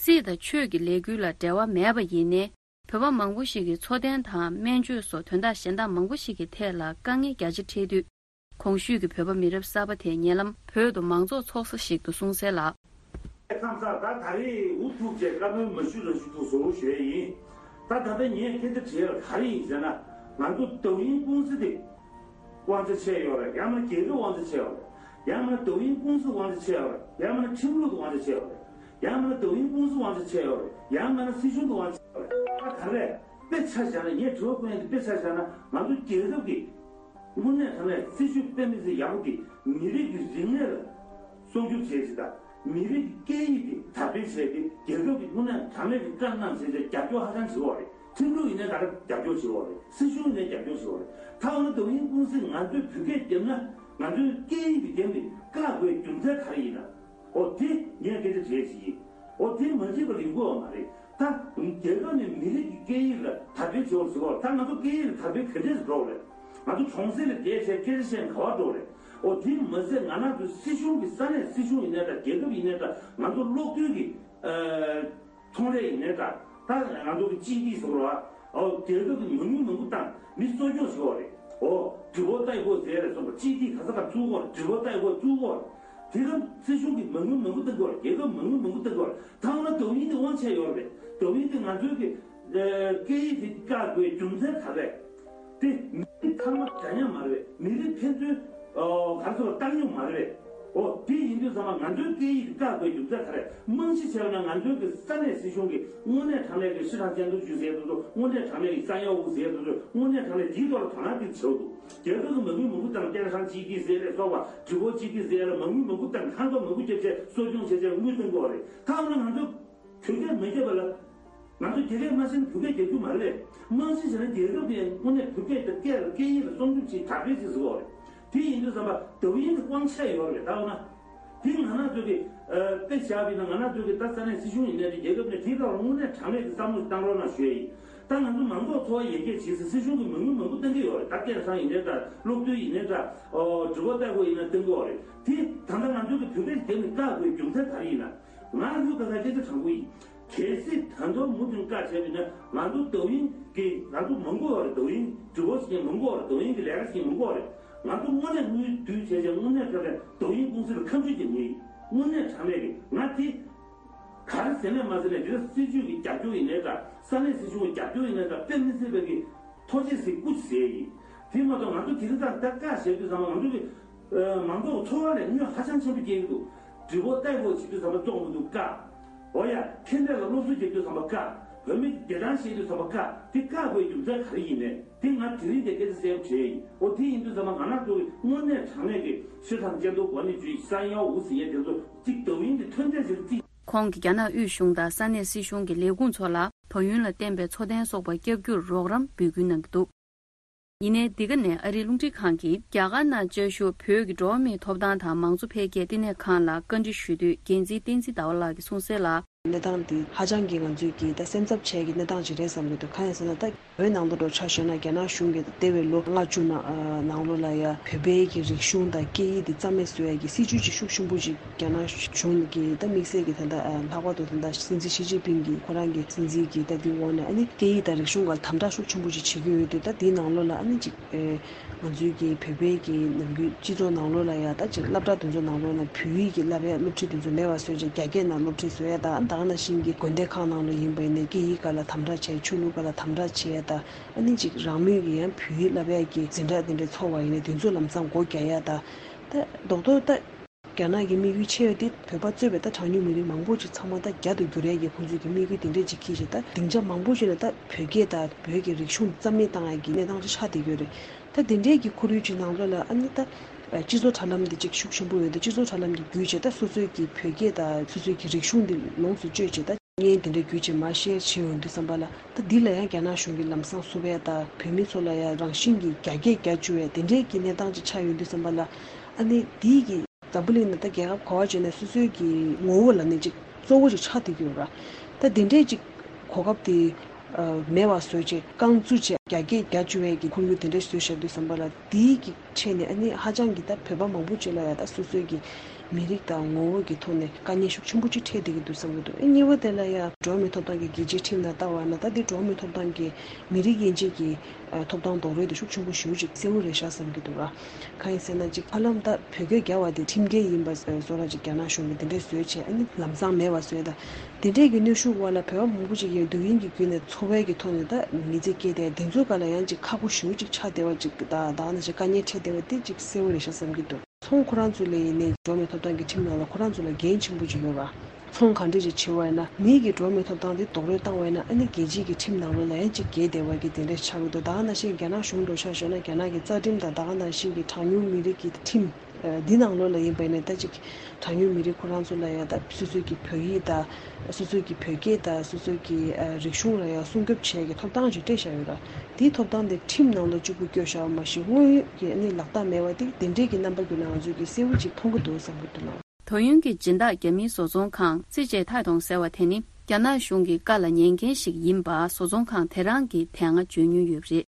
སྲིད་དང་ཆོས་ཀྱི་ལས་འགུལ་ལ་འབྲེལ་བ་མེད་པ་ཡིན་ནའི། བོད་པ་མང་པོ་ཞིག་གིས་འཚོ་རྟེན་དང་སྨན་བཅོས་སོགས་དོན་དག་གཞན་དག་མང་པོ་ཞིག་གི་ཐད་ལ་དཀའ་ངལ་རྒྱ་ཆེ་འཕྲད་དུས། གོང་ཞུས་ཀྱི་བོད་པ་མི་རབས་གསར་པ་དེས་ཉེ་ལམ་བོད་དུ་མང་ཚོགས་ཚོགས་ས་ཞིག་ཏུ་གསུངས་གསལ་ལ། ཁམས་བཟང་། ད་ད་རེས་འུ་ཐུག་བྱས་བཀའ་མོལ་མ་ཞུ་ར་ཞུ་ཐུག་བཟོ་ཞུ་ཡས་ཡིན། ད་ད་ལྟ་ངས་སྐད་ཆ་དྲིས་ལ་ག་རེ་ཡིན་ཟེར་ན། ང་ཚོ་དོ་ཡོན་ཀུང་སི་དེ་དབང་ཆ་ཆད་ཡོད་རེད། ཡང་མིན་ན་རྒྱལ་ཁབ་དབང་ཆ་ཆད་ཡོད་རེད། ཡང་མིན་ན་དོ་ཡོན་ཀུང་སི་དབང་ཆ་ཆད་ཡོད་རེད། ཡང་མིན་ན་ཁྲིམས་ལུགས་དབང་ཆ་ཆད་ཡོད་རེད། ཡང་མིན་ན་དོ་ཡོན་ཀུང་སི་དབང་ཆ་ཆད་ཡོད་རེད། ཡང་མིན་ན་སྲིད་གཞུང་དུ་དབང་ཆ་ཆད་ཡོད་རེད། ད་ག་རེ་རེད། དཔེ་ཆ་བཞག་ན། ངས་དྲི་བ་བཀོད་ཡ་དེ་དཔེ་ཆ་བཞག་ན། ང་ཚོ་རྒྱལ་ཁབ་ཀྱི་དངོས་གནས་དྲང་གནས་སྲིད་ཇུས་དཔེ་མི་སྲིད་ཡག་པོ་གི་མི་རིགས་ཀྱི་རིག་གནས་ལ་སྲུང་སྐྱོབ་བྱེད་ཅིག་དང་། མི་རིགས་ཀྱི་སྐད་ཡིག་དེ་དར་སྤེལ་བྱས་ཏེ། རྒྱལ་ཁབ་ཀྱི་དངོས་གནས་དྲང་གནས་ཀྱི་བཀའ་གནང་བྱས་ཏེ་རྒྱབ་སྐྱོར་ཧ་ཅང་བྱེད་དགོས་རེད། ཁྲིམས་ལུགས་ཡིན་ནའི་ད་རྒྱབ་སྐྱོར་བྱེད་དགོས་རེད། སྲིད་གཞུང་ཡིན་ནའི་རྒྱབ་སྐྱོར་བྱེད་དགོས་རེད། ད་འོ་ན་དོ་ཡོན་ཀུང་སི་ང་ཚོས་བོད་སྐད་བརྒྱབ་ན། ང་ཚོའི་སྐད་ཡིག་དེ་བརྒྱབ་ནས་བཀག་དགོས་རྒྱུ་མཚན་ག་རེ་ཡིན་ན། འོ་དེ་ངས་སྐད་ཆ་དྲིས་ཤིག་ཡིན། འོ་དེ་མ་བརྗེད་པ་ལེགས་པོ་ཡོད་མ་རེད། ད་རྒྱལ་ཁབ་ནས་མི་རིགས་ཀྱི་སྐད་ཡིག་ལ་དར་སྤེལ་བྱེད་དགོས་ཟེར་བ། ད་ང་ཚོ་སྐད་ཡིག་ལ་དར་སྤེལ་ག་འདྲས་སུ་འགྲོ་རེད། ང་ཚོ་གྲོང་གསེབ་ལ་བསྡད་བྱས་སྐད་ཆ་བཤད་ན་ག་པར་འགྲོ་རེད། འོ་དེ་མ་ཟད་ང་རང་ཚོའི་སྲིད་གཞུང་གི་ས་གནས་སྲིད་གཞུང་ཡིན་ནའི་འདྲ། རྒྱལ་ཁབ་ཡིན་ནའི་འདྲ། ང་ཚོ་གློག་རྡུལ་གྱི་ཨ་ཚོང་ལས་ཡིན་ནའི་འདྲ། ད་ང་ཚོ་གི་ཅི་ཏི་ཟེར་བ། འོ་རྒྱལ་ཁབ་ཀྱི་མ་དངུལ་མང་པོ་བཏང་། མི་གསོ་སྐྱོང་བྱེད་དགོས་རེད། འོ་འགྲུལ་པ་ལྟ་སྐོར་ཟེར་རེད་སོང་པ། ཅི་ཏི་ག་ས་ག་བཙུགས་དགོས་རེད། འགྲུལ་པ་ལྟ་སྐོར་བཙུགས་དགོས་རེད། དེ་ག་སྲིད་གཞུང་གི་མ་དངུལ་མང་པོ་བཏང་དགོས་རེད། རྒྱལ་ཁབ་མ་དངུལ་མང་པོ་བཏང་དགོས་རེད། ད་འོ་ན་དོ་ཡོན་དེ་དབང་ཆ་ཡོད་རེད། དོ་ཡོན་དེ་ང་ཚོའི་གི་ཨ་སྐད་ཡིག་དེ་བཀག་དགོས་རྒྱུ་མཚན་ག་རེ་རེད། དེ་མི་རིགས་ཚང་མ་འདྲ་མཉམ་མ་རེད་པས། མི་རིགས་ཕན་ཚུན་ཨོ་ག་རེ་ཟེར་བ། བཏང་སྙོམས་མ་རེད་པས། ཨོ་དེ་ཡིན་དུས་ཙམ་པ་ང་ཚོའི་སྐད་ཡིག་བཀག་དགོས་རྒྱུ་མཚན་ག་རེ། རྨང་གཞི་བྱས་པ་ན་ང་ཚོའི་གི་ས་གནས་སྲིད་གཞུང་གི་དངོས་གནས་དྲང་གནས་ཀྱི་市长监督局ཟེར་དུས་ཚོ། དངོས་གནས་དྲང་གནས་ཀྱི་山药屋ཟེར་དུས་ཚོ། དངོས་གནས་དྲང་གནས་དེའི་ཐོག་ལ་དོ་སྣང་གི་བྱེད་དགོས། རྒྱལ་ཁབ་ཀྱི་མ་དངུལ་མང་པོ་བཏང་།电商基地ཟེར་ལས་སོགས་པ།直播基地ཟེར་ལ་མ་དངུལ་མང་པོ་བཏང་། ཁང་པ་མང་པོ་བརྒྱབ་བྱས་གསོ་སྐྱོང་བྱས་བྱས་དངུལ་བཏང་དགོས་རེད། ད་འོ་ན་ང་ཚོ་བོད་སྐད་མི་རྒྱབ་པ་ལ། ང་ཚོ་དེ་གས་མ་ཤེས་ན་བོད་སྐད་རྒྱག་རྒྱུ་མ་རེད། རྨང་གཞི་བྱས་ན་རྒྱལ་ཁབ་དེ་དངོས་གནས་བོད་སྐད་དང་སྐད་ལ་སྐད་ཡིག་ལ་སྲུང་སྐྱོབ་བྱེད་དར་སྤེལ་བྱེད་ཟེར་བ་རེད། དེ་ཡིན་དུས་ཙམ་པ་抖音དེ་དབང་ཆ་ཡོད་རེད། ད་འོ་ན་དེ་ང་རང་ཚོ་གི་ཨ་དཔེ་བཞག་པ་ཡིན་ན། ང་རང་ཚོ་གི་ད་ས་གནས་སྲིད་གཞུང་ཡིན་ནའི་རེད། རྒྱལ་ཁབ་ནས་དེའི་ཐོག་ལ་དངོས་གནས་དྲང་གནས་ཀྱི་བསམ་བློ་བཏང་རོགས་གནང་ཞུ་ཡ་ཡིན། ད་ང་ཚོ་མང་ཚོགས་འཚོ་བ་ཡར་རྒྱས་བྱེད་ས་སྲིད་གཞུང་གི་མ་དངུལ་མང་པོ་གཏོང་གི་ཡོད་རེད། ད་电商ཡིན་ནའི་འདྲ། སློབ་བསྡུ་ཡིན་ནའི་འདྲ། ཨོ་直播带货ཡིན་ན་གཏོང་གི་ཡོད་རེད། དེ་ད་ལྟ་ང་ཚོ་གི་བོད་སྐད་དེ་ནི་བཀག་དགོས་རྒྱུ་མཚན་ག་རེ་ཡིན་ན། ང་ལ་ཁྱོད་ད་ལྟ་སྐད་ཆ་དྲང་པོ་ཡིན། གལ་སྲིད་ད་དུང་མུ་མཐུད་བཀག་བྱས་པ་ཡིན་ན། ང་ཚོ་抖音གི་ང་ཚོ་མང་པོ་ཡོད་རེད།抖音直播བྱེད་མཁན་མང་པོ་ཡོད་རེད།抖音གི་ལས་ཀ་བྱེད་མཁན་མང་པོ་ཡོད་རེད། ང་ཚོ་དངོས་གནས་དངུལ་བསྡུ་བྱས་བྱས་དངོས་གནས་སྐབས་རེ་抖音公司ལ་ཁ་མཆུ་རྒྱག་མཁན་ཡིན། དངོས་གནས་དྲང་གནས་ཀྱི་ང་དེ་ག་རེ་ཟེར་ནས་མ་ཟེར་ནས། དེ་ལ་སྲིད་ཇུས་ཀྱི་རྒྱབ་སྐྱོར་ཡིན་ནའི་འདྲ། ས་གནས་སྲིད་གཞུང་གི་རྒྱབ་སྐྱོར་ཡིན་ནའི་འདྲ། དཔེ་མི་སྲིད་པའི་གི་ཐུགས་རྗེ་གཟིགས་སྐུ་མཁྱེན་ཟེར་ཡིན། དེ་མ་གཏོགས་ང་ཚོ་དེ་རིང་ད་ལྟ་བཀག་བཞག་དུས་ཙམ་པ་ང་ཚོ་གི་ཨ་མང་ཚོགས་འཚོ་བ་ལ་གནོད་ཧ་ཅང་ཆེན་པོ་སྐྱེལ་གྱི་འདུག།直播带货བྱེད་དུས་ཙམ་པ་བཙོང་མི་འདུག་བཀག། འོ་ཡ། ཁྱིམ་ཚང་ལ་སློབ་གསོ་རྒྱག་དུས་ཙམ་པ་བཀག། བོད་མི་བདེ་ཐང་བྱེད་དུས་ཙམ་པ་བཀག། དེ་བཀག་དགོས་རྒྱུ་མཚན་ག་རེ་ཡིན་ནས། དེ་ང་དེ་རིང་དེ་སྐད་ཆ་གསལ་པོ་བྱས་ཡིན། འོ་དེ་ཡིན་དུས་ཙམ་པ་ང་རང་ཚོ་གི་དངོས་གནས་དྲང་གནས་ཀྱི་市场监督管理局山药屋ཟེར་ཡས་དེ་ཚོ་གཅིག་抖音གི་ཐོན་རྫས་ཟེར་རྩིས། ཁོང་གིས་རྒྱ་ནག་དབུས་གཞུང་དང་ས་གནས་སྲིད་གཞུང་གི་ལས་ཁུངས་ཚོ་ལ་ད་ཡུན་ལ་བརྟེན་པའི་འཚོ་རྟེན་སོགས་པ་བསྐྱབ་རྒྱུར་རོགས་རམ་འབོད་སྐུལ་གནང་གི་འདུག། ཡིན་ནའི་འདི་ག་ནས་ཨ་རིའི་རླུང་འཕྲིན་ཁང་གིས་རྒྱ་གར་ནང་བཅའ་བཞུགས་བོད་ཀྱི་འགྲོ་བ་མིའི་ཐོབ་ཐང་དང་མང་གཙོ་འཕེལ་རྒྱས་བསྟི་གནས་ཁང་ལ་བཀའ་འདྲི་ཞུས་དུས། འགན་འཛིན་བསྟན་འཛིན་ཟླ་བ་ལགས་ཀྱིས་གསུངས་གསལ་ལ། གནས་སྟངས་འདི་ཧ་ཅང་གི་ང་ཚོས་ཀྱི་ད་སེམས་འཚབ་བྱེད་ཀྱི་གནས་སྟངས་ཅིག་རེད་བསམ་གྱི་འདུག། གང་ཡིན་ཟེར་ན། ད་བོད་ནང་དུ་འགྲོ་ཆ་བཞག་ན། རྒྱ་ནག་གཞུང་གིས་འདས་པའི་ལོ་ལྔ་བཅུ་ནང་ཨ་ནང་ལོགས་ལ་ཡ་བོད་པའི་གི་རིག་གཞུང་དང་སྐད་ཡིག་འདི་རྩ་མེད་བཟོ་ཡ་གི་སྲིད་ཇུས་ཅིག་ཤུགས་ཆེན་པོ་ཅིག་རྒྱ་ནག་གཞུང་གིས་ད་དམིགས་བསལ་གྱི་ད་ལྟ་ཨ་ལྷག་པར་དུ་ད་ལྟ་སྲིད་འཛིན་ཞི་ཅིན་ཕིང་གིས་ཁོ་རང་གི་སྲིད་འཛིན་གྱི་ད་དེའི་འོག་ནས་ཨ་ནི་སྐད་ཡིག་དང་རིག་གཞུང་སྒང་དམ་དྲག་ཤུགས་ཆེན་པོ་ཅིག་བྱེད་ཀྱི་ཡོད་དུས། ད་དེའི་ནང་ལོགས་ལ་ཨ་ནི་ཅིག་ཨེ་ང་ཚོའི་གི་བོད་པའི་གི་ནམ་རྒྱུན་སྤྱི་ཚོགས་ནང་ལོགས་ལ་ཡ་ད་ཅིག་སློབ་གྲྭ་དེ་ཚོ་ནང་ལོགས་ན་བོད་ཡིག་གི་བསླབ་ཡ་སློབ་ཁྲིད་དེ་ཚོ་མེད་པ་བཟོས་བྱས། རྒྱ་སྐད་ནང་སློབ་ཁྲིད་བཟོ་ཡ་དང་། ད་ག་ནང་བཞིན་གྱི་དགོན་སྡེ་ཁག་ནང་ལ་ཡིན་པ་ཡིན་ནའི་སྐད་ཡིག་སྒང་ལ་དམ་དྲག་བྱས། ཆོས་ལུགས་སྒང་ལ་དམ་དྲག་བྱེད་ཡ་དང་། ཨ་ནི་ཅིག་རང་མོས་ཀྱི་ཡང་བོད་ཡིག་བསླབ་ཡ་གི་འཛིན་གྲྭ་དེ་འདྲ་ཚོགས་པ་ཡིན་ནའི་དེ་ཚོ་ལམ་སང་སྒོ་རྒྱག་ཡ་དང་། ད་རྡོག་རྡོག་ད་རྒྱ་ནག་གི་དམིགས་ཡུལ་ཆེ་བ་དེ་བོད་པ་གཙོས་པའི་ད་གྲངས་ཉུང་མི་རིགས་མང་པོ་ཅིག་ཚང་མ་ད་རྒྱ་དུ་བསྒྱུར་ཡས་ཀྱི་ཁོང་ཚོས་ཀྱི་དམིགས་ཡུལ་དེ་འདྲས་ཅིག་འཁྱེར་བྱས། ད་སྡིངས་ཆ་མང་པོ་ཞིག་ལ་ད་བོད་སྐད་དང་བོད་ཀྱི་རིག་གཞུང་རྩ་མེད་བཏང་ཡས་ཀྱི་གནས་སྟངས་ཅིག་ཆགས་བསྡད་ཡོད་རེད། ད་དེ་འདྲས་ཀྱི་ཁོར་ཡུག་ཅིག་ནང་ལོགས་ལ་ཨ་ནི་ད་སྤྱི་ཚོགས་དྲ་ལམ་འདི་ཅིག་ཤུགས་ཆེན་པོ་ཡོད། ད་སྤྱི་ཚོགས་དྲ་ལམ་གྱི་བརྒྱུད་བྱས་ད་སོ་སོའི་གི་བོད་སྐད་དང་སོ་སོའི་གི་རིག་གཞུང་འདི་ལོངས་སུ་སྤྱོད་བྱས། ད་བརྙན་དེ་འདྲ་བརྒྱུད་བྱས་མར་ཤེར་བྱས་ཡོང་དུས་ཙམ་པ་ལ། ད་འདི་ལ་ཡང་རྒྱ་ནག་གཞུང་གིས་ལམ་སང་བསུབ་ཡས་དང་། བོད་མི་ཚོ་ལ་ཡང་རང་བཞིན་གྱིས་རྒྱ་སྐད་རྒྱག་བཅུག་ཡས་དེ་འདྲའི་གི་གནས་སྟངས་ཅིག་ཆགས་ཡོང་དུས་ཙམ་པ་ལ། ཨ་ནི་འདིའི་གི་འཛམ་བུ་གླིང་ནང་ད་རྒྱལ་ཁབ་ག་པར་བྱས་ནའི་སོ་སོའི་གི་ངོ་བོ་ལབ་ནས་ཅིག་གཙོ་བོ་ཅིག་ཆགས་བསྡད་ཀྱི་ཡོད་ར། ད་དེ་འདྲའི་ཅིག་གོ་སྐབས་དེ་ཨ་མེད་པ་བཟོས་བྱས། རྐང་བཙུགས་བྱས་རྒྱ་སྐད་རྒྱག་བཅུག་ཡས་གི་ཁོར་ཡུག་དེ་འདྲ་བཟོས་བཞག་དུས་ཙམ་པ་ལ། འདིའི་གི་ཆེད་ནས་ཨ་ནི་ཧ་ཅང་གི་ད་བོད་པ་མང་པོ་ཅིག་ལ་ཡ་ད་སོ་སོའི་གི་མི་རིགས་དང་ངོ་བོ་གི་ཐོག་ནས་དཀའ་ངལ་ཤུགས་ཆེན་པོ་ཅིག་འཕྲད་བསྡད་ཀྱི་འདུག་བསམ་གྱི་འདུག། ཨེ་གཉིས་པ་དེ་ལ་ཡ་འགྲོ་བ་མིའི་ཐོབ་ཐང་གི་རྒྱལ་སྤྱིའི་ཁྲིམས་ནང་ལྟ་བ་ན། ད་འདི་འགྲོ་བ་མིའི་ཐོབ་ཐང་གི་མི་རིགས་དབྱེ་འབྱེད་ཀྱི་ཨ་ཐོབ་ཐང་རྡོག་རོལ་དེ་ཤུགས་ཆེན་པོ་ཞེ་པོ་ཅིག་གསལ་བོ་རེད་ཤག་བསམ་གྱི་འདུག་ར། གང་ཡིན་ཟེར་ན། ཅིག་ཧ་ལམ་ད་བོད་སྐད་རྒྱག་པ་དེ་ཁྲིམས་འགལ་ཡིན་པ་བཟོ་འདྲ་ཅིག་རྒྱ་ནག་གཞུང་གིས་དེ་འདྲས་བཟོས་བྱས། ཨ་ནི་ལམ་སང་མེད་པ་བཟོས། ད་དེ་འདྲས་ཀྱི་གནོན་ཤུགས་འོག་ལ་བོད་པ་མང་པོ་ཅིག་གིས་抖音གི་བརྒྱུད་ནས་འཚོ་བའི་གི་ཐོག་ནས་ད་མི་ཚེ་སྐྱེལ་ཏེ། དེ་ཚོའི་སྒང་ལ་ཡང་ཅིག་ཁག་པོ་ཞེ་པོ་ཅིག་ཆགས་བསྡད་པ་ཅིག། ད་ད་ག་ནང་བཞིན་དཀའ་ངལ་འཕྲད་བསྡད་པ་དེ་ཅིག་གསལ་བོ་རེད་ཤག་བསམ་གྱི་འདུག། ཚོང་ཁོ་རང་ཚོ་ལ་ཡིན་ནའི་འགྲོ་བ་མིའི་ཐོབ་ཐང་གི་ཁྲིམས་ནང་ལ་ཁོ་རང་ཚོ་ལ་འགན་ཆེན་པོ་ཅིག་ཡོད་ར། ཚོང་གང་འདྲ་ཅིག་བྱེད་པ་ཡིན་ན། མིའི་གི་འགྲོ་བ་མིའི་ཐོབ་ཐང་དེ་རྡོག་རོལ་བཏང་བ་ཡིན་ན། ཨ་ནི་རྒྱལ་སྤྱིའི་གི་ཁྲིམས་ནང་ལོགས་ལ་ཡང་ཅིག་འགལ་བསྡད་པ་གི་དེ་འདྲ་ཆགས་ཀྱི་འདུག། ད་ག་ནང་བཞིན་རྒྱ་ནག་གཞུང་འགྲོ་ཆ་བཞག་ན། རྒྱ་ནག་གི་རྩ་ཁྲིམས་དང་། ད་ག་ནང་བཞིན་གྱི་གྲངས་ཉུང་མི་རིགས་ཀྱི་ཁྲིམས་ཨ་འདི་ནང་ལོགས་ལ་ཡིན་པ་ཡིན་ན། ད་ཅིག་གྲངས་ཉུང་མི་རིགས་ཁོ་རང་ཚོ་ལ་ཡང་ད་སོ་སོའི་གི་བོད་ཡིག་དང་། སོ་སོའི་གི་བོད་སྐད་དང་། སོ་སོའི་གི་ཨ་རིག་གཞུང་ལ་ཡང་སྲུང་སྐྱོབ་བྱེད་ཀྱི་ཐོབ་ཐང་ཅིག་སྤྲད་བཞག་ཡོད་ར། དེའི་ཐོབ་ཐང་དེ་ཁྲིམས་ནང་ལ་གཅིག་པུ་བསྐྱོད་བཞག་པ་མ་གཞི། དངོས་ཡོད་ཀྱི་ཨ་ནི་ལག་བསྟར་མེད་པ་དེ། དེ་འདྲའི་གི་རྣམ་པ་བརྒྱུད་ནས་ང་ཚོས་ཀྱི་གསལ་བོ་ཅིག་མཐོང་གི་འདུག་བསམ་གྱི་འདུག་ལགས། ད་ཡུན་གྱི་སྦྱིན་བདག་རྒྱ་མིའི་བཟོ་ཚོང་ཁང་རྩིས་བྱེད་མཐའ་གཏོང་ཟེར་བ་དེ་ནི། རྒྱ་ནག་གཞུང་གི་བཀའ་ལ་ཉན་མཁན་ཞིག་ཡིན་པ་བཟོ་ཚོང་ཁང་དེ་རང་གིས་དེ་སྔ་བརྗོད་མྱོང་ཡོད་པ་རེད།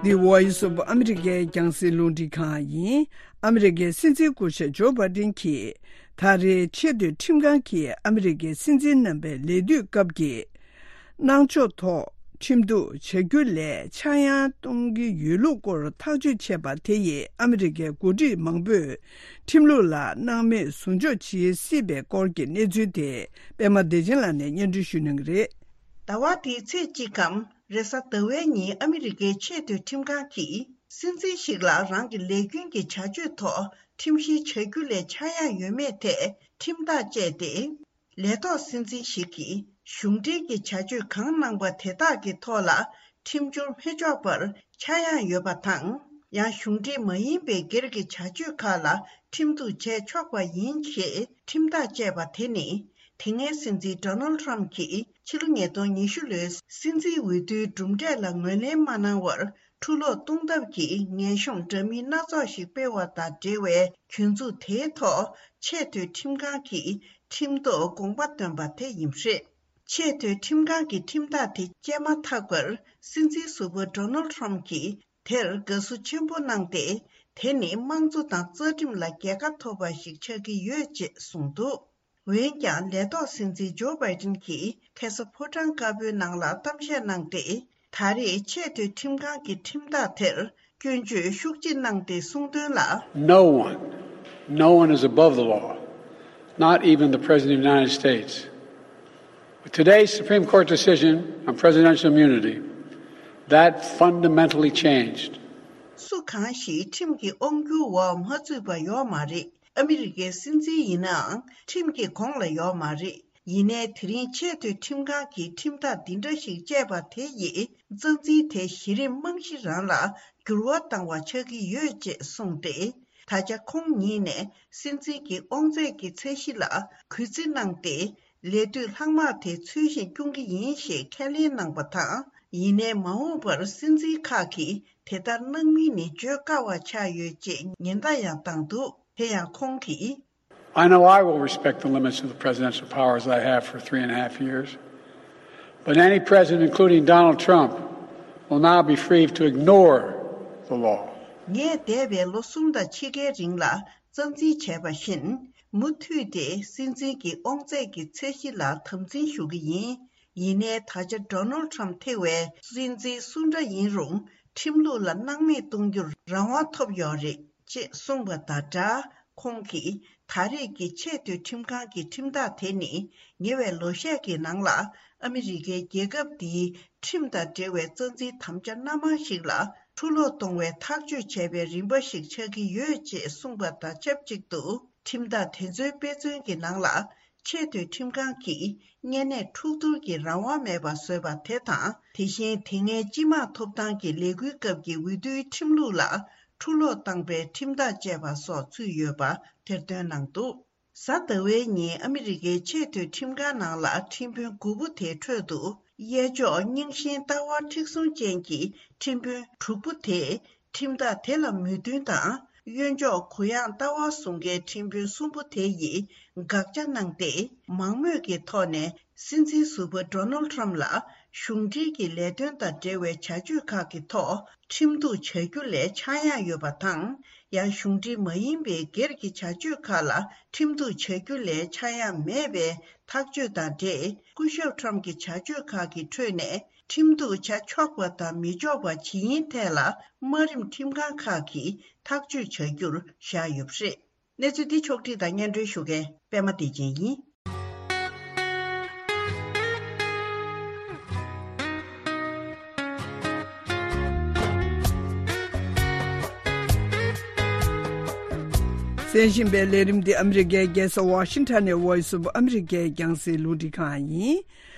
འདི་Voice of America རྒྱང་སྲིང་རླུང་འཕྲིན་ཁང་ཡིན། ཨ་མི་རི་ཀའི་སྲིད་འཛིན་སྐུ་ཞབས་ཇོ་བྷ་ཏིན་གྱིས། ད་རེས་ཆེས་མཐོའི་ཁྲིམས་ཁང་གིས་ཨ་མི་རི་ཀའི་སྲིད་འཛིན་རྣམ་པའི་ལས་དུས་སྐབས་ཀྱི་གནང་ཕྱོགས་ཐོག་ཁྲིམས་གཏུག་བྱ་རྒྱུ་ལས་ཆག་ཡང་གཏོང་གི་ཡོད་ལུགས་སྐོར་ཐག་གཅོད་བྱས་པ་དེ་ཡིས། ཨ་མི་རི་ཀའི་འགོ་ཁྲིད་མང་པོས་ཁྲིམས་ལུགས་ལ་སྣང་མེད་ཟུར་འཇོག་བྱེད་སྲིད་པའི་སྐོར་གྱི་གནས་ཚུལ་དེ། པད་མ་བདེ་ཆེན་ལགས་ནས་སྙན་སྒྲོན་ཞུ་གནང་གི་རེད། ཟླ་བ་འདིའི་ཚེས་གཅིག་གམ་རེས་གཟའ་ཟླ་བའི་ཉིན་ཨ་མི་རི་ཀའི་ཆེས་མཐོའི་ཁྲིམས་ཁང་གིས་སྲིད་འཛིན་ཞིག་ལ་རང་གི་ལས་རྒྱུན་གྱི་བྱ་སྤྱོད་ཐོག་ཁྲིམས་བཤེར་བྱ་རྒྱུ་ལས་ཆག་ཡང་ཡོད་མེད་ཐད་ཁྲིམས་ཐག་བཅད་དེ། ལས་ཐོག་སྲིད་འཛིན་ཞིག་གིས་གཞུང་འབྲེལ་གྱི་བྱ་སྤྱོད་གང་གནང་པ་དེ་དག་གི་ཐོག་ལ་ཁྲིམས་སྦྱོར་མི་འཇོག་པར་ཆག་ཡང་ཡོད་པ་དང་། ཡང་གཞུང་འབྲེལ་མ་ཡིན་པའི་སྒེར་གྱི་བྱ་སྤྱོད་ཁག་ལ་ཁྲིམས་གཏུག་བྱས་ཆོག་པ་ཡིན་ཞེས་ཁྲིམས་ཐག་བཅད་པ་དེ་ནི། དེ་སྔའི་སྲིད་འཛིན་ཌོ་ནལ་ཊམ་གྱིས་ཕྱི་ལོ་ཉིས་སྟོང་ཉི་ཤུ་ལོའི་སྲིད་འཛིན་འོས་བསྡུའི་གྲུབ་འབྲས་ལ་ངོས་ལེན་མ་གནང་བར་འཁྲུ་སློག་གཏོང་ཐབས་ཀྱི་ངན་གཤོམ་འདྲ་མིན་སྣ་ཚོགས་ཤིག་སྤེལ་བ་དང་འབྲེལ་བའི་གྱོད་འཛུགས་དེའི་ཐོག་ཆེས་མཐོའི་ཁྲིམས་ཁང་གིས་ཁྲིམས་ཐོག་དགོངས་པ་བཏོན་པ་དེ་ཡིན་པ་རེད། ཆེས་མཐོའི་ཁྲིམས་ཁང་གི་ཁྲིམས་ཐག་དེ་བཅད་མ་ཐག་པར་སྲིད་འཛིན་ཟུར་པ་ཌོ་ནལ་ཊམ་གྱིས་དེར་དགའ་བསུ་ཆེན་པོ་གནང་སྟེ། དེ་ནི་དམངས་གཙོ་དང་རྩ་ཁྲིམས་ལ་རྒྱལ་ཁ་ཐོབ་པ་ཞིག་ཆགས་ཀྱི་ཡོད་ཅེས་གསུངས་འདུག་འོན་ཀྱང་ལས་ཐོག་སྲིད་འཛིན་ཇོ་བྷའི་ཏིན་གྱིས་ཁ་སང་ཕོ་བྲང་དཀར་པོའི་ནང་ལ་གཏམ་བཤད་གནང་སྟེ། ད་རེས་ཆེས་མཐོའི་ཁྲིམས་ཁང་གི་ཁྲིམས་ཐག་དེར་སྐྱོན་བརྗོད་ཤུགས་ཆེ་གནང་སྟེ་གསུངས་དོན་ལ། No one, no one is above the law, not even the President of the United States. With today's Supreme Court decision on presidential immunity, that fundamentally changed. སུ་གང་ཞིག་ཁྲིམས་ཀྱི་དབང་སྒྱུར་འོག་མ་ཚུད་པ་ཡོད་མ་རེད། ཨ་མི་རི་ཀའི་སྲིད་འཛིན་ཡིན་ནའང་ཁྲིམས་ཀྱི་གོང་ལ་ཡོད་མ་རེད། ཡིན་ནའི་དེ་རིང་ཆེས་མཐོའི་ཁྲིམས་ཁང་གིས་ཁྲིམས་ཐག་འདི་འདྲ་ཞིག་བཅད་པ་དེ་ཡིས་རྩ་འཛིན་དེ་གཞི་རིམ་རྨང་གཞི་རང་ལ་འགྱུར་བ་བཏང་བ་ཆགས་ཀྱི་ཡོད་ཅེས་གསུངས་ཏེ། ད་ཆ་ཁོང་ཉིད་ནས་སྲིད་འཛིན་གྱི་དབང་ཚད་ཀྱི་ཚད་གཞི་ལ་གུས་བརྩི་གནང་སྟེ། ལས་དུས་ལྷག་མ་དེ་ཚུལ་བཞིན་སྐྱོང་གི་ཡིན་ཞེས་ཁས་ལེན་གནང་པ་དང་། ཡིན་ནའི་མ་འོངས་པར་སྲིད་འཛིན་ཁག་གིས་དེ་ལྟར་གནང་མིན་ནི་བརྗོད་དཀའ་བ་ཆགས་ཡོད་ཅེས་ཉེན་བརྡ་ཡང་བཏང་འདུག་དེ་ཡང་ཁོང་གིས། I know I will respect the limits of the presidential powers that I have for three and a half years, but any president, including Donald Trump, will now be free to ignore the law. ངས་འདས་པའི་ལོ་གསུམ་དང་ཕྱེད་ཀའི་རིང་ལ་རྩ་འཛིན་བྱས་པ་བཞིན། མུ་མཐུད་དེ་སྲིད་འཛིན་གྱི་དབང་ཚད་ཀྱི་ཚད་གཞི་ལ་དམ་འཛིན་ཞུ་གི་ཡིན། ཡིན་ནའི་ད་ཆ་ཌོ་ནལ་ཊམ་ཐེ་བའི་སྲིད་འཛིན་སུ་འདྲ་ཡིན་རུང་། ཁྲིམས་ལུགས་ལ་སྣང་མེད་གཏོང་རྒྱུར་རང་དབང་ཐོབ་ཡོད་རེད་ཅེས་གསུངས་པ་དང་སྦྲགས། ཁོང་གིས་ད་རེས་ཀྱི་ཆེས་མཐོའི་ཁྲིམས་ཁང་གི་ཁྲིམས་ཐག་དེ་ནི་ཉེ་བའི་ལོ་ཤས་ཀྱི་ནང་ལ་ཨ་མི་རི་ཀའི་རྒྱལ་ཁབ་འདིའི་ཁྲིམས་དང་འབྲེལ་བའི་རྩ་འཛིན་དམ་བཅའ་སྣ་མང་ཞིག་ལ་འཁྲུ་སློག་གཏོང་བའི་ཐག་གཅོད་བྱས་པའི་རིམ་པ་ཞིག་ཆགས་ཀྱི་ཡོད་ཅེས་གསུངས་པ་དང་ཆབས་ཅིག་ཏུ། ཁྲིམས་ཐག་དེ་ཚོའི་དཔེ་མཚོན་གྱི་ནང་ལ། ཆེས་མཐོའི་ཁྲིམས་ཁང་གིས་བསྙེན་གནས་འཁྲུག་བསྡུར་གྱི་རང་དབང་མེད་པ་བཟོས་པ་དེ་དང་། དེ་བཞིན་དེ་སྔའི་སྤྱི་དམངས་ཐོབ་ཐང་གི་ལས་འགུལ་སྐབས་ཀྱི་འོས་བསྡུའི་ཁྲིམས་ལུགས་ལ་འཁྲུ་སློག་བཏང་པའི་ཁྲིམས་ཐག་བཅད་པ་སོགས་ཚུད་ཡོད་པ་དེར་བཏོན་གནང་འདུག་གཟའ་ཟླ་བའི་ཉིན་ཨ་མི་རི་ཀའི་ཆེས་མཐོའི་ཁྲིམས་ཁང་ནང་ལ་ཁྲིམས་དཔོན་དགུ་པོ་དེའི་ཁྲོད་དུ། གཡས་ཕྱོགས་རྙིང་ཞེན་ལྟ་བ་མཁྲེགས་བཟུང་ཅན་གྱི་ཁྲིམས་དཔོན་དྲུག་པོ་དེས། ཁྲིམས་ཐག་དེ་ལ་མོས་མཐུན་དང་། གཡོན་ཕྱོགས་གུ་ཡངས་ལྟ་བ་བཟུང་མཁན་ཁྲིམས་དཔོན་གསུམ་པོ་དེ་ཡིས་དགག་བྱ་གནང་སྟེ། མང་མོས་ཀྱི་ཐོག་ནས་སྲིད་འཛིན་ཟུར་པ་ཌོ་ནལ་ཊམ་ལ་གཞུང་འབྲེལ་གྱི་ལས་དོན་དང་འབྲེལ་བའི་བྱ་སྤྱོད་ཁག་གི་ཐོག་ཁྲིམས་གཏུག་བྱ་རྒྱུ་ལས་ཆག་ཡང་ཡོད་པ་དང་། ཡང་གཞུང་འབྲེལ་མ་ཡིན་པའི་སྒེར་གྱི་བྱ་སྤྱོད་ཁག་ལ་ཁྲིམས་གཏུག་བྱ་རྒྱུ་ལས་ཆག་ཡང་མེད་པའི་ཐག་གཅོད་དང་འབྲེལ། སྐུ་ཞབས་ཊམ་གྱི་བྱ་སྤྱོད་ཁག་གི་ཁྲོད་ནས། ཁྲིམས་གཏུག་བྱ་ཆོག་པ་དང་མི་ཆོག་པ་ཇི་ཡིན་ཐད་ལ་དམའ་རིམ་ཁྲིམས་ཁང་ཁག་གིས་ཐག་གཅོད་བྱ་རྒྱུར་བཞག་ཡོད་པ་རེད། གནས་ཚུལ་འདི་ཕྱོགས་བསྒྲིགས་དང་སྙན་སྒྲོན་ཞུ་མཁན་པད་མ་བདེ་ཆེན་ཡིན། གསན་བཞིན་པའི་ལས་རིམ་འདི་ཨ་མི་རི་ཀའི་རྒྱལ་ས་ཝ་ཤིང་ཊོན་ནས་Voice of America རྒྱང་སྲིང་རླུང་འཕྲིན་ཁང་ཡིན།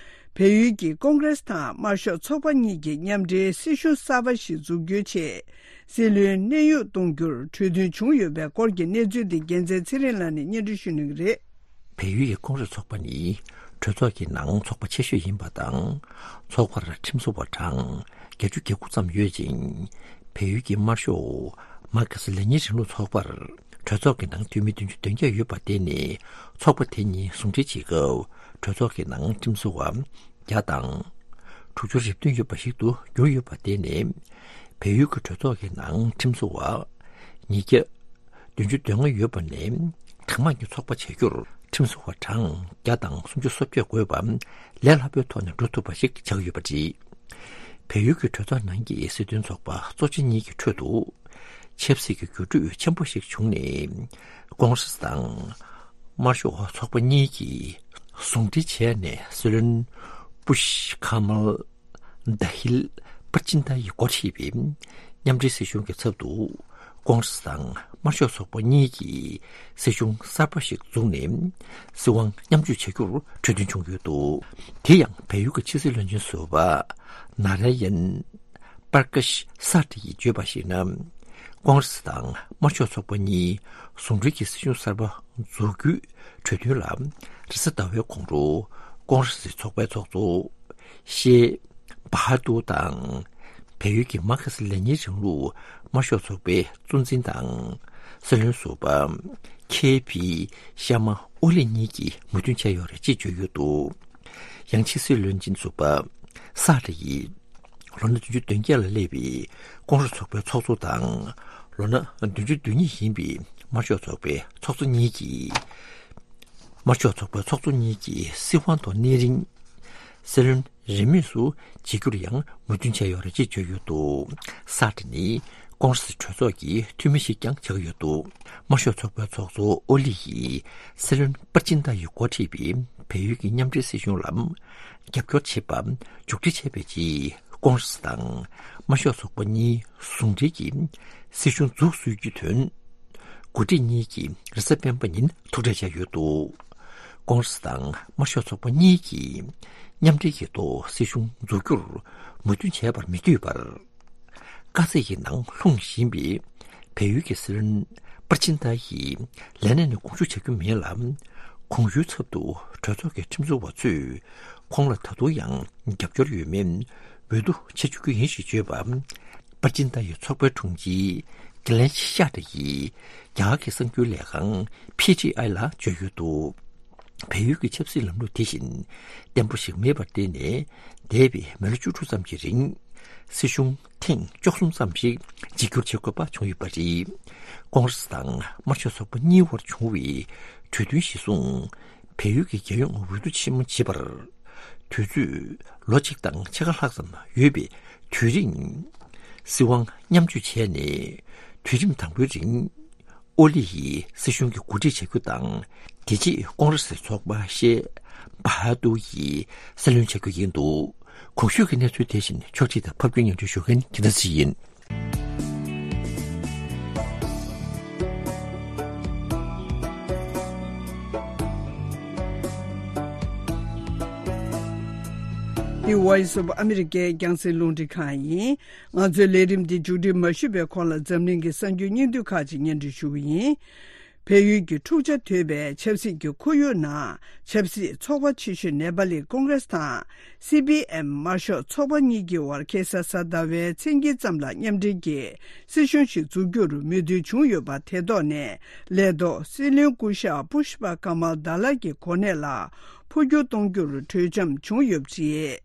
བལ་ཡུལ་གྱི་ཀོང་ཀྲེས་དང་དམར་ཤོག་ཚོགས་པ་གཉིས་ཀྱིས་མཉམ་འབྲེལ་སྲིད་གཞུང་གསར་པ་ཞིག་འཛུགས་རྒྱུའི་ཆེད། སྲིད་བློན་གནས་དབྱུང་གཏོང་རྒྱུར་གྲོས་མཐུན་བྱུང་ཡོད་པའི་སྐོར་གྱི་གནས་ཚུལ་འདི་རྒྱལ་མཚན་ཚེ་རིང་ལགས་ནས་སྙན་སྒྲོན་ཞུ་གནང་གི་རེད། བལ་ཡུལ་གྱི་ཀོང་ཀྲེས་ཚོགས་པ་ནི་གྲོས་ཚོགས་ཀྱི་ནང་ཚོགས་པ་ཆེ་ཤོས་ཡིན་པ་དང་། ཚོགས་པར་ཁྲིམས་བཟོ་བ་གྲངས་བརྒྱད་ཅུ་གྱ་དགུ་ཙམ་ཡོད་ཅིང་། བལ་ཡུལ་གྱི་དམར་ཤོག་མར་ཁེ་སི་ལེ་ཉིན་རིང་ལུགས་ཚོགས་པར་གྲོས་ཚོགས་ཀྱི་ནང་འཐུས་མི་བདུན་ཅུ་དོན་བརྒྱད་ཡོད་པ་དེ་ནི་ཚོགས་པ་དེ་གཉིས་ཟུང་འབྲེལ་བྱེད་སྐབས་གྲོས་ཚོགས་ཀྱི་ནང་ཁྲིམས་བཟོ་བ་བརྒྱ་དང་དྲུག་ཅུ་རེ་བདུན་ཡོད་པ་ཞིག་ཏུ་གྱུར་ཡོད་པ་དེ་ནི། བལ་ཡུལ་གྱི་གྲོས་ཚོགས་ཀྱི་ནང་ཁྲིམས་བཟོ་བ་ཉིས་བརྒྱ་བདུན་ཅུ་དོན་ལྔ་ཡོད་པ་ནས་གྲངས་མང་གི་ཚོགས་པ་བྱ་རྒྱུར་ཁྲིམས་བཟོ་བ་གྲངས་བརྒྱ་དང་སུམ་ཅུ་སོ་བརྒྱད་དགོས་པ་ལས་སླ་པོའི་ཐོག་ནས་འགྲོ་ཐུབ་པ་ཞིག་ཆགས་ཡོད་པ་རེད། བལ་ཡུལ་གྱི་གྲོས་ཚོགས་ནང་གི་སྲིད་དོན་ཚོགས་པ་གཙོ་ཆེ་གཉིས་ཀྱི་ཁྲོད་དུ་ཆབ་སྲིད་ཀྱི་འགྱུར་འགྲོས་ཆེན་པོ་ཞིག་བྱུང་ནས། ཀོང་ཀྲེས་དང་དམར་ཤོག་ཚོགས་པ་གཉིས་ཀྱིས་ཟུང་འབྲེལ་བྱས་ནས་སྲིད་བློན་ པུཤ་ཁ་མལ་དྷ་ཧིལ་པར་ཅིན་ཏ་ཡི་འགོ་ཁྲིད་པའི་མཉམ་འབྲེལ་སྲིད་གཞུང་གི་ཚབ་ཏུ། ཀོང་རེ་སི་དང་དམར་ཤོག་ཚོགས་པ་གཉིས་ཀྱིས་སྲིད་གཞུང་གསར་པ་ཞིག་བཙུགས་ནས། སྲིད་དབང་མཉམ་སྤྱོད་བྱ་རྒྱུར་གྲོས་མཐུན་བྱུང་ཡོད་འདུག་དེ་ཡང་བལ་ཡུལ་གྱི་ཕྱི་སྲིད་བློན་ཆེན་ཟུར་པ་ན་ར་ཡན་པར་ཀ་ཤ་ས་ཏྲི་ཡིས་བརྗོད་པར་གཞིགས་ན། ཀོང་རེ་སི་དང་དམར་ཤོག་ཚོགས་པ་གཉིས་ཟུང་འབྲེལ་གྱིས་སྲིད་གཞུང་གསར་པ་འཛུགས་རྒྱུའི་གྲོས་མཐུན་ལ། རེས་གཟའ་ཟླ་བའི་གོང་དུ་ཀོང་རེ་སི་ཚོགས་པའི་ཚོགས་གཙོ་ཤེ་བྷ་ཧ་ཏུར་དང་། བལ་ཡུལ་གྱི་མར་ཁེ་སི་ལེ་ཉིན་རིང་ལུགས་དམར་ཤོག་ཚོགས་པའི་གཙོ་འཛིན་དང་། སྲིད་བློན་ཟུར་པ་ཁེ་ཕི་ཤ་མ་ཨོ་ལི་གཉིས་ཀྱིས་མོས་མཐུན་བྱས་ཡོད་རེད་ཅེས་བརྗོད་ཡོད་འདུག་ཡང་ཕྱི་སྲིད་བློན་ཆེན་ཟུར་པ་ས་ཏྲ་ཡིས། ལོ་ན་བདུན་ཅུ་དོན་བརྒྱད་ལ་སླེབས་པའི་ཀོང་རེ་ཚོགས་པའི་ཚོགས་གཙོ་དང་། ལོ་ན་བདུན་ཅུ་དོན་གཉིས་ཡིན་པའི་དམར་ཤོག་ཚོགས་པའི་ཚོགས་གཙོ་གཉིས་ཀྱིས། དམར་ཤོག་ཚོགས་པའི་ཚོགས་གཙོ་གཉིས་ཀྱིས་སྲིད་དབང་ཐོག་གནས་རིང་སྲིད་བློན་རིང་མོས་སུ་བརྗེ་རྒྱུར་ཡང་མོས་མཐུན་བྱས་ཡོད་རེད་ཅེས་བརྗོད་ཡོད་འདུག་ས་ཏྲ་ནི་ཀོང་རེ་སི་གྲོས་ཚོགས་ཀྱི་འཐུས་མི་ཞིག་ཀྱང་ཆགས་ཡོད་འདུག་དམར་ཤོག་ཚོགས་པའི་ཚོགས་གཙོ་ཨོ་ལི་ཡིས་སྲིད་བློན་པར་ཅིན་ཏ་ཡིས་འགོ་ཁྲིད་པའི་བལ་ཡུལ་གྱི་མཉམ་འབྲེལ་སྲིད་གཞུང་ལ། རྒྱབ་སྐྱོར་བྱེད་པ་མཇུག་སྒྲིལ་བྱས་པའི་རྗེས། ཀོང་རེ་སི་དང་དམར་ཤོག་ཚོགས་པ་གཉིས་ཟུང་འབྲེལ་གྱིས་སྲིད་གཞུང་འཛུགས་སྲོལ་གྱི་དོན། འགོ་ཁྲིད་གཉིས་ཀྱིས་རེས་གཟའ་སྤེན་པ་ཉིན་ཐུག་འཕྲད་བྱས་ཡོད་འདུག་ཀོང་རེ་སི་དང་དམར་ཤོག་ཚོགས་པ་གཉིས་ཀྱིས་མཉམ་འབྲེལ་གྱི་ཐོག་སྲིད་གཞུང་འཛུགས་རྒྱུར་མོས་མཐུན་བྱས་པར་མི་འདོད་པར། དཀའ་ཚེགས་ཀྱི་ནང་ལྷུང་བཞིན་པའི་བལ་ཡུལ་གྱི་སྲིད་བློན་པར་ཆིན་ཏཱ་ཡིས་ལས་གནས་ནས་དགོངས་ཞུ་བྱ་རྒྱུ་མིན་ལ། གོང་ཞུས་ཚབ་ཏུ་གྲོས་ཚོགས་ཀྱི་ཁྲིམས་བཟོ་བ་ཚོས་ཁོང་ལ་ད་དུང་ཡང་རྒྱབ་སྐྱོར་ཡོད་མེད་འོས་བསྡུ་བྱེད་བཅུག་རྒྱུ་ཡིན་ཞེས་བརྗོད་པ། པར་ཆིན་ཏཱ་ཡི་ཚོགས་པའི་དྲུང་ཆེ་གི་ལན་ཤ་ཏྲ་ཡིས་རྒྱ་གར་གྱི་གསར་འགྱུར་ལས་ཁང་པི་ཊི་ཨའི་ལ་བརྗོད་ཡོད་འདུག་བལ་ཡུལ་གྱི་ཆབ་སྲིད་ལམ་ལུགས་དེ་བཞིན་བརྟན་པོ་ཞིག་མེད་པར་བརྟེན་ནས། འདས་པའི་མི་ལོ་བཅུ་དྲུག་ཙམ་གྱི་རིང་། སྲིད་གཞུང་ཐེངས་བཅུ་གསུམ་ཙམ་ཞིག་འཇིགས་སྐྱོར་བྱེད་དགོས་པ་བྱུང་ཡོད་པ་རེད། ཀོང་རེ་སི་དང་དམར་ཤོག་ཚོགས་པ་གཉིས་དབར་བྱུང་བའི་གྲོས་མཐུན་གཞིར་བཟུང་། བལ་ཡུལ་གྱི་རྒྱལ་ཡོངས་འོས་བསྡུ་ཆེན་མོ་བྱེད་པར། དུས་ཚོད་ལོ་གཅིག་དང་ཕྱེད་ཀ་ལྷག་ཙམ་ཡོད་པའི་དུས་རིང་། སྲིད་དབང་མཉམ་སྤྱོད་བྱས་ནས། དུས་རིམ་དང་པོའི་རིང་། ཨོ་ལི་ཡིས་སྲིད་གཞུང་གི་འགོ་ཁྲིད་བྱ་རྒྱུ་དང་། དེ་རྗེས་ཀོང་རེ་སི་ཚོགས་པ་ཤེ་བྷ་ཧ་ཏུ་ཡིས་སྲིད་བློན་བྱ་རྒྱུ་ཡིན་འདུག་གོང་ཞུས་ཀྱི་གནས་ཚུལ་དེ་བཞིན་ཕྱོགས་སྒྲིག་དང་ཕབ་སྒྱུར་སྙན་སྒྲོན་ཞུ་མཁན་དེ་འདྲ་ཞིག་ཡིན། འདི་Voice of America་རྒྱང་སྲིང་རླུང་འཕྲིན་ཁང་ཡིན། ང་ཚོའི་ལས་རིམ་འདི་མཇུག་སྒྲིལ་མ་ཞུས་པའི་གོང་ལ་འཛམ་གླིང་གི་གསར་འགྱུར་སྙིང་བསྡུས་ཁག་ཅིག་སྙན་སྒྲོན་ཞུ་གི་ཡིན། བལ་ཡུལ་གྱི་འཁྲུག་ཆ་དོད་པའི་ཆབ་སྲིད་ཀྱི་ཁོར་ཡུག་ནང་ཆབ་སྲིད་ཚོགས་པ་ཆེ་ཤོས་ནེ་པ་ལི་ཀོང་རེ་སི་དང་སི་པི་ཨེམ་དམར་ཤོག་ཚོགས་པ་གཉིས་ཀྱི་དབར་ཁ་སང་གཟའ་ཟླ་བའི་མཚན་དཀྱིལ་ཙམ་ལ་མཉམ་འབྲེལ་གྱིས་སྲིད་གཞུང་ཞིག་འཛུགས་རྒྱུར་མོས་མཐུན་བྱུང་ཡོད་པ་དེ་ཐོག་ནས་ལས་ཐོག་སྲིད་བློན་སྐུ་ཞབས་པུཤ་པ་ཀ་མལ་དྷ་ལ་གི་གོ་གནས་ལ་འཕོ་འགྱུར་གཏོང་རྒྱུར་གྲོས་འཆམ་བྱུང་ཡོད་པ་རེད།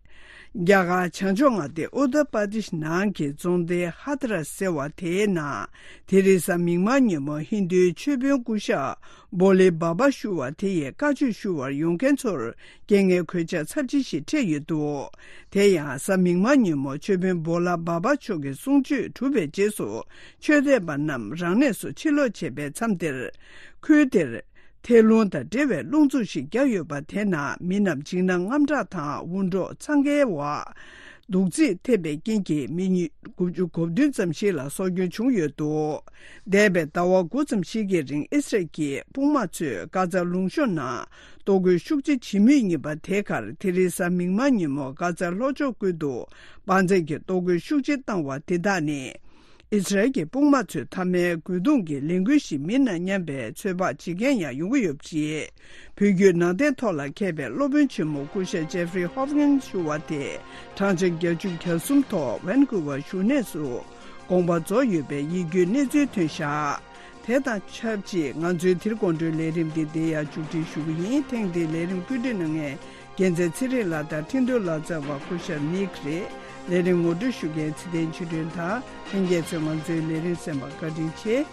རྒྱ་གར་བྱང་ཕྱོགས་མངའ་སྡེ་ཨུ་ཏར་པར་དིཤ་ནང་གི་རྫོང་སྡེ་ཧ་ཐ་ར་ཟེར་བ་དེའི་ནང་དེ་རིང་གཟའ་མིག་དམར་ཉིན་མོ་ཧིན་རྡུའི་མཆོད་དཔོན་སྐུ་ཞབས་བྷོ་ལེ་བྷ་བྷ་ཞུ་བ་དེ་ཡི་བཀའ་ཆོས་ཞུ་བར་ཡོང་མཁན་ཚོར་རྐྱེན་ངན་གོད་ཆག་ཚབས་ཆེ་ཞིག་འཕྲད་ཡོད་འདུག་དེ་ཡང་གཟའ་མིག་དམར་ཉིན་མོ་མཆོད་དཔོན་བྷོ་ལ་བྷ་བྷ་མཆོག་གི་གསུང་ཆོས་གྲུབ་པའི་རྗེས་སུ་ཆོས་དད་པ་རྣམས་རང་གནས་སུ་ཕྱིར་ལོག་བྱེད་པའི་མཚམས་དེར། ཁུལ་དེར་ཐལ་རླུང་དང་འབྲེལ་བའི་རླུང་འཚུབ་ཞིག་བརྒྱབ་ཡོད་པ་དེ་ནང་མི་རྣམས་འཇིགས་སྣང་དངངས་སྐྲག་དང་འུར་སྒྲོག་འཚང་ཁའི་འོག་རྡོག་རྫིས་ཐེབས་པའི་རྐྱེན་གྱིས་མི་ཉིས་དགུ་བཅུ་གོ་བདུན་ཙམ་ཞིག་ལ་སྲོག་སྐྱོན་བྱུང་ཡོད་འདུག་འདས་པའི་ཟླ་བ་དགུ་ཙམ་ཞིག་གི་རིང་ཨི་སི་རལ་གྱི་དཔུང་དམག་ཚོས་གྷ་ཛ་ལུང་གཤོང་ནང་གཏོར་རྒོལ་ཤུགས་ཆེ་བྱེད་མུས་ཡིན་པ་དེ་གར་དེ་རིང་གཟའ་མིག་དམར་ཉིན་མོ་གྷ་ཛ་ལྷོ་ཕྱོགས་ཁུལ་དུ་འབར་འཛེགས་ཀྱི་གཏོར་རྒོལ་ཤུགས་ཆེ་བཏང་བ་དེ་དག་ནི། ཨི་སི་རལ་གྱི་དཔུང་དམག་ཚོས་མཐའ་མའི་རྒོལ་རྡུང་གི་ལས་འགུལ་ཞིག་མིན་ན་སྙམ་པའི་ཚོད་དཔག་བྱེད་མཁན་ཡང་ཡོང་གི་ཡོད་པ་རེད། བོད་བརྒྱུད་ནང་བསྟན་ཐོག་ལ་མཁས་པའི་སློབ་དཔོན་ཆེན་མོ་སྐུ་ཞབས་ཇེ་ཧྥི་རི་ཧོབ་ཀིན་ཞུ་བ་དེ་བགྲང་བྱ་བརྒྱད་ཅུ་གྱ་གསུམ་ཐོག་ཝན་ཀུ་ཝར་བཞུགས་གནས་སུ་དགོངས་པ་རྫོགས་ཡོད་པའི་ཡིད་སྐྱོའི་གནས་ཚུལ་ཐོན་བཞག་དེ་དང་ཆབས་ཅིག་ང་ཚོའི་དེ་རིང་དགོང་དྲོའི་ལས་རིམ་འདི་འདིར་ཡང་མཇུག་སྒྲིལ་ཞུ་གི་ཡིན། ཐེངས་འདིའི་ལས་རིམ་བཀོད་སྒྲིག་གནང་མཁན་རྒྱལ་མཚན་ཚེ་རིང་ལགས་དང་འཕྲིན་གཏོང་ལག་རྩལ་བ་སྐུ་ཞབས་ནིག་རེད། ལས་རིམ་ངོ་སྤྲོད་ཞུ་མཁན་ཚེ་བརྟན་ཆོས་སྒྲོན་དང་ལྷན་རྒྱས་ཚོས་ང་ཚོའི་ལས་རིམ་གསན་པར་བཀའ་དྲིན་ཆེ།